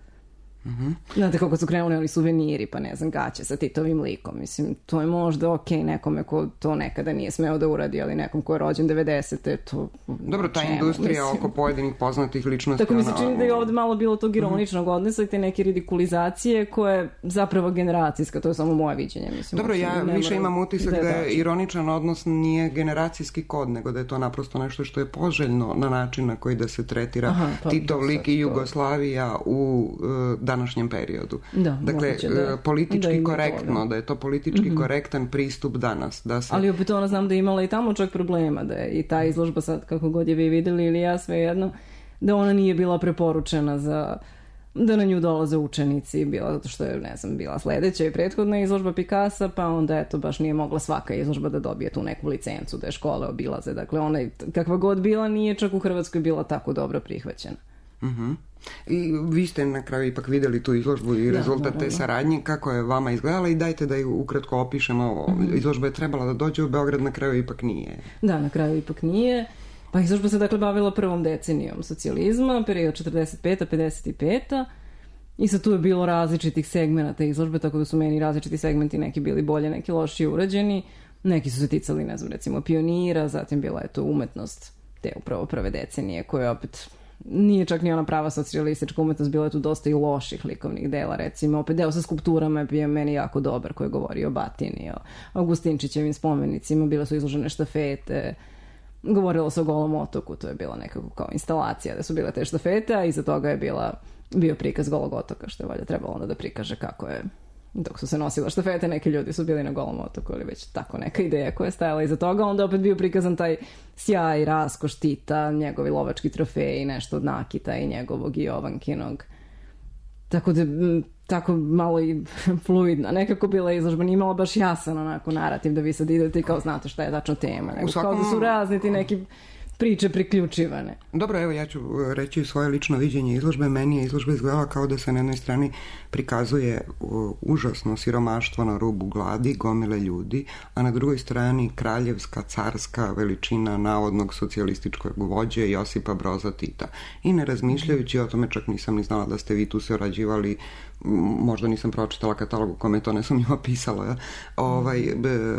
Mm-hmm. Znate kako su krenuli oni suveniri, pa ne znam, gaće sa Titovim likom, mislim, to je možda ok nekome ko to nekada nije smeo da uradi, ali nekom ko je rođen devedesete, to dobro, ta čemu, industrija mislim, oko pojedinih poznatih ličnosti. Tako mi se čini da je ovdje malo bilo tog ironičnog mm-hmm. odnosa i te neke ridikulizacije koje je zapravo generacijska, to je samo moje viđenje, mislim. Dobro, ja više imam utisak da, da je ironičan odnos nije generacijski kod, nego da je to naprosto nešto što je poželjno na način na koji da se tretira Aha, pa, Titov lik i Jugoslavija u uh, današnjem periodu. Da, dakle, da, politički da korektno, to, da. da je to politički mm-hmm. korektan pristup danas. Da se... Ali opet ona znam da je imala i tamo čak problema, da je i ta izložba sad, kako god je vi videli ili ja, svejedno, da ona nije bila preporučena za da na nju dolaze učenici, bila zato što je, ne znam, bila sledeća i prethodna izložba Picassa, pa onda eto baš nije mogla svaka izložba da dobije tu neku licencu, da je škole obilaze. Dakle, ona kakva god bila, nije čak u Hrvatskoj bila tako dobro prihvaćena. Mhm. I vi ste na kraju ipak videli tu izložbu i rezultat te saradnje, kako je vama izgledala i dajte da ju ukratko opišemo. Mm-hmm. Izložba je trebala da dođe u Beograd, na kraju ipak nije. Da, na kraju ipak nije. Pa izložba se dakle bavila prvom decenijom socijalizma, period četrdeset peta pedeset peta i sad tu je bilo različitih segmenata izložbe, tako da su meni različiti segmenti, neki bili bolje, neki lošije urađeni, neki su se ticali, ne znam, recimo pionira, zatim bila je to umetnost te upravo prve decenije koje opet nije čak ni ona prava socijalistička umetnost, bilo je tu dosta i loših likovnih dela, recimo opet deo sa skulpturama je bio meni jako dobar, koji je govorio o Batini, o Augustinčićevim spomenicima, bile su izložene štafete, govorilo se o Golom otoku, to je bila nekako kao instalacija da su bile te štafete, a iza toga je bila, bio prikaz Golog otoka, što je valjda trebalo onda da prikaže kako je dok su se nosila štafete, neki ljudi su bili na Golom otoku ili već tako neka ideja koja je stajala iza toga. Onda opet bio prikazan taj sjaj, raskoš Tita, njegovi lovački trofeji, nešto od nakita i njegovog i Jovankinog. Tako da, tako malo i fluidna. Nekako bila izložba, nije imala baš jasan onako narativ da vi sad idete i kao znate šta je tačno tema. Nego svakom... kao da su razni ti neki priče priključivane. Dobro, evo ja ću reći svoje lično viđenje izložbe. Meni je izložba izgledala kao da se na jednoj strani prikazuje užasno siromaštvo na rubu gladi, gomile ljudi, a na drugoj strani kraljevska, carska veličina navodnog socijalističkog vođe Josipa Broza Tita. I ne razmišljajući o tome, čak nisam ni znala da ste vi tu se orađivali, možda nisam pročitala katalog u kome to nesumnjivo pisalo. Ja? Ovaj,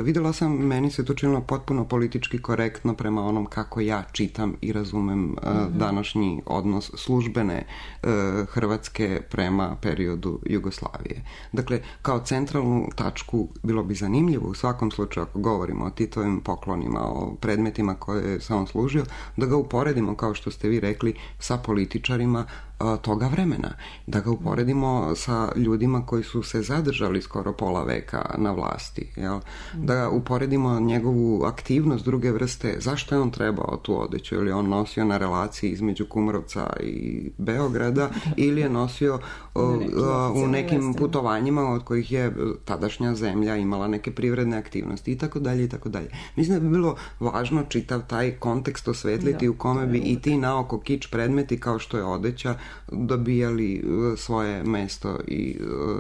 videla sam, meni se to činilo potpuno politički korektno prema onom kako ja čitam i razumem mm-hmm. uh, današnji odnos službene uh, Hrvatske prema periodu Jugoslavije. Dakle, kao centralnu tačku bilo bi zanimljivo u svakom slučaju, ako govorimo o Titovim poklonima, o predmetima koje se on služio, da ga uporedimo, kao što ste vi rekli, sa političarima toga vremena. Da ga uporedimo sa ljudima koji su se zadržali skoro pola veka na vlasti. Jel? Da ga uporedimo njegovu aktivnost druge vrste. Zašto je on trebao tu odeću? Ili on nosio na relaciji između Kumrovca i Beograda ili je nosio uh, uh, u nekim putovanjima od kojih je tadašnja zemlja imala neke privredne aktivnosti i tako dalje i tako dalje. Mislim da bi bilo važno čitav taj kontekst osvetliti u kome bi i ti naoko kič predmeti kao što je odeća dobijali svoje mesto i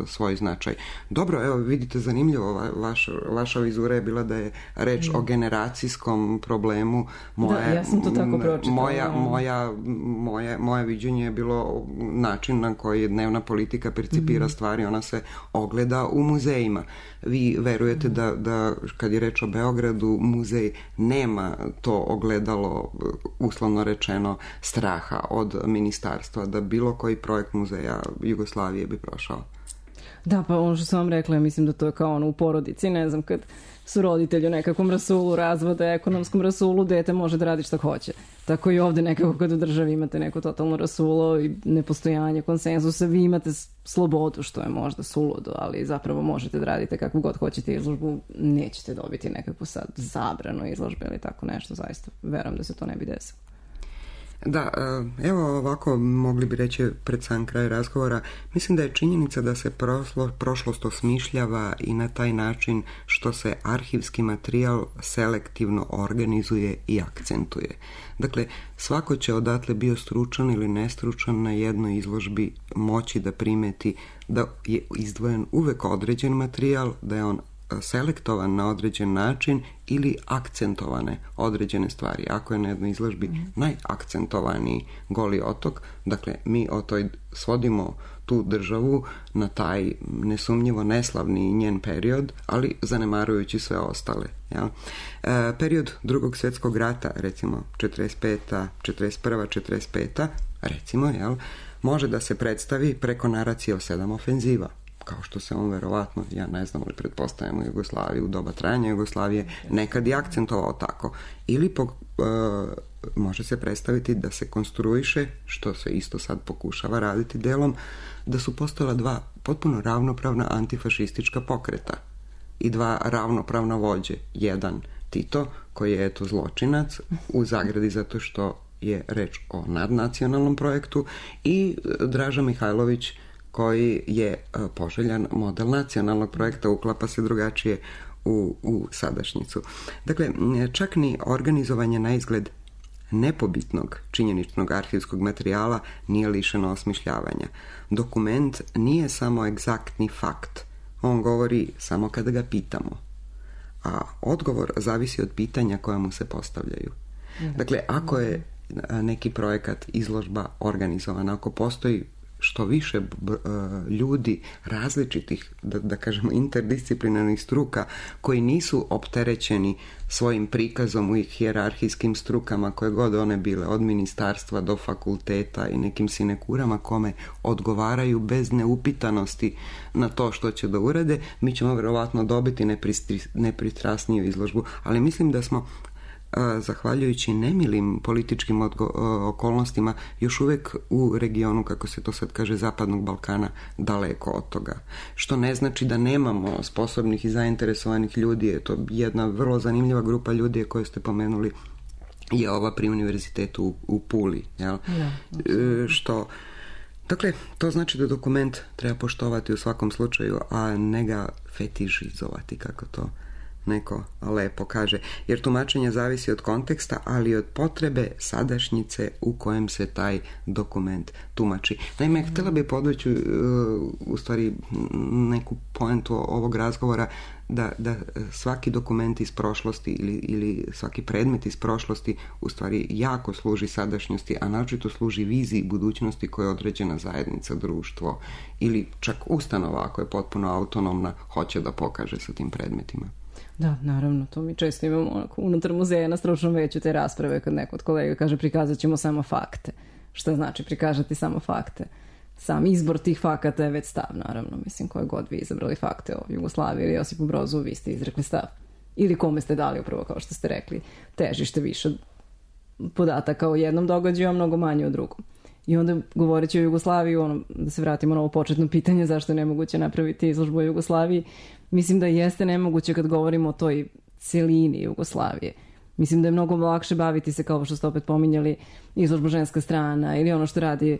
svoj značaj. Dobro, evo vidite, zanimljivo, vaša, vaša vizura je bila da je reč mm. o generacijskom problemu. Moje, da, ja sam to tako pročitala. Moja, moja, moje, moje viđenje je bilo način na koji dnevna politika percipira mm. stvari, ona se ogleda u muzejima. Vi verujete mm. da, da kad je reč o Beogradu, muzej nema to ogledalo, uslovno rečeno, straha od ministarstva, da bilo koji projekt muzeja Jugoslavije bi prošao. Da, pa ono što sam vam rekla, ja mislim da to je kao ono u porodici, ne znam, kad su roditelji u nekakvom rasulu, razvode, ekonomskom rasulu, dete može da radi šta hoće. Tako i ovde nekako kad u državi imate neko totalno rasulo i nepostojanje konsenzusa, vi imate slobodu, što je možda suludo, ali zapravo možete da radite kakvu god hoćete izložbu, nećete dobiti nekakvu sad zabranu izložbe ili tako nešto, zaista verujem da se to ne bi desilo. Da, evo ovako mogli bi reći pred sam kraj razgovora, mislim da je činjenica da se proslo, prošlost osmišljava i na taj način što se arhivski materijal selektivno organizuje i akcentuje. Dakle, svako će odatle bio stručan ili nestručan na jednoj izložbi moći da primeti da je izdvojen uvek određen materijal, da je on selektovan na određen način ili akcentovane određene stvari. Ako je na jednoj izložbi mm. najakcentovaniji Goli otok, dakle mi o toj svodimo tu državu na taj nesumnjivo neslavni njen period, ali zanemarujući sve ostale. Jel? E, period Drugog svjetskog rata, recimo četrdeset peta, četrdeset prva, četrdeset peta, recimo, jel, može da se predstavi preko naracije o sedam ofenziva, kao što se on verovatno, ja ne znam, ali pretpostavljam u Jugoslaviji, u doba trajanja Jugoslavije, nekad je akcentovao tako. Ili po, e, može se predstaviti da se konstruiše, što se isto sad pokušava raditi delom, da su postojala dva potpuno ravnopravna antifašistička pokreta i dva ravnopravna vođe. Jedan Tito, koji je eto zločinac, u zagradi zato što je reč o nadnacionalnom projektu, i Draža Mihajlović, koji je poželjan model nacionalnog projekta, uklapa se drugačije u, u sadašnjicu. Dakle, čak ni organizovanje na izgled nepobitnog činjeničnog arhivskog materijala nije lišeno osmišljavanja. Dokument nije samo egzaktni fakt, on govori samo kada ga pitamo, a odgovor zavisi od pitanja koja mu se postavljaju. Dakle, ako je neki projekat, izložba organizovana, ako postoji što više ljudi različitih, da, da kažemo, interdisciplinarnih struka koji nisu opterećeni svojim prikazom u hijerarhijskim strukama koje god one bile, od ministarstva do fakulteta i nekim sinekurama kome odgovaraju bez neupitanosti na to što će da urade, mi ćemo vjerovatno dobiti nepristrasniju izložbu, ali mislim da smo zahvaljujući nemilim političkim odgo- okolnostima, još uvek u regionu, kako se to sad kaže, Zapadnog Balkana, daleko od toga. Što ne znači da nemamo sposobnih i zainteresovanih ljudi. Je to jedna vrlo zanimljiva grupa ljudi koje ste pomenuli, je ova pri univerzitetu u, u Puli. Jel? Ja, e, što, dakle, to znači da dokument treba poštovati u svakom slučaju, a ne ga fetišizovati, kako to neko lepo kaže, jer tumačenje zavisi od konteksta, ali od potrebe sadašnjice u kojem se taj dokument tumači. Naime, htjela bih podvući uh, u stvari neku poentu ovog razgovora, da, da svaki dokument iz prošlosti ili, ili svaki predmet iz prošlosti u stvari jako služi sadašnjosti, a naročito služi viziji budućnosti koja je određena zajednica, društvo ili čak ustanova, ako je potpuno autonomna, hoće da pokaže sa tim predmetima. Da, naravno, to mi često imamo onako unutar muzeja na stručnom veću te rasprave kad neko od kolega kaže prikazat ćemo samo fakte. Šta znači prikažati samo fakte? Sam izbor tih fakata je već stav, naravno. Mislim, koje god vi izabrali fakte o Jugoslaviji ili Josipu Brozu, vi ste izrekli stav. Ili kome ste dali upravo, kao što ste rekli, težište više podataka o jednom događaju, a mnogo manje o drugom. I onda, govoreći o Jugoslaviji, ono, da se vratimo na ovo početno pitanje zašto je nemoguće napraviti izložbu o Jugoslaviji, mislim da jeste nemoguće kad govorimo o toj celini Jugoslavije. Mislim da je mnogo lakše baviti se, kao što ste opet pominjali, izložba Ženska strana ili ono što radi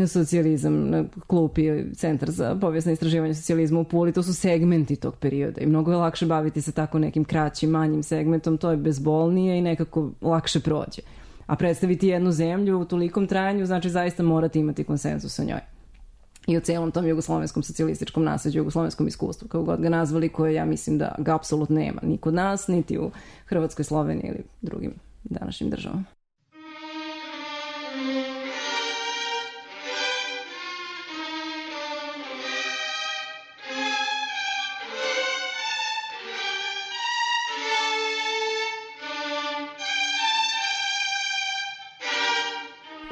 socijalizam na klupi, Centar za povijesno istraživanje socijalizma u Puli. To su segmenti tog perioda i mnogo je lakše baviti se tako nekim kraćim, manjim segmentom. To je bezbolnije i nekako lakše prođe. A predstaviti jednu zemlju u tolikom trajanju znači zaista morate imati konsenzus o njoj. I o celom tom jugoslovenskom socijalističkom nasleđu, jugoslovenskom iskustvu, kao god ga nazvali, koje ja mislim da ga apsolutno nema ni kod nas, niti u Hrvatskoj, Sloveniji ili drugim današnjim državama.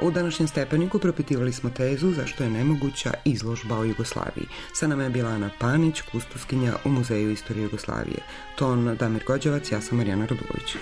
U današnjem Stepeniku propitivali smo tezu zašto je nemoguća izložba o Jugoslaviji. Sa nama je bila Ana Panić, kustuskinja u Muzeju istorije Jugoslavije. Ton Damir Gođevac, ja sam Marijana Radulović.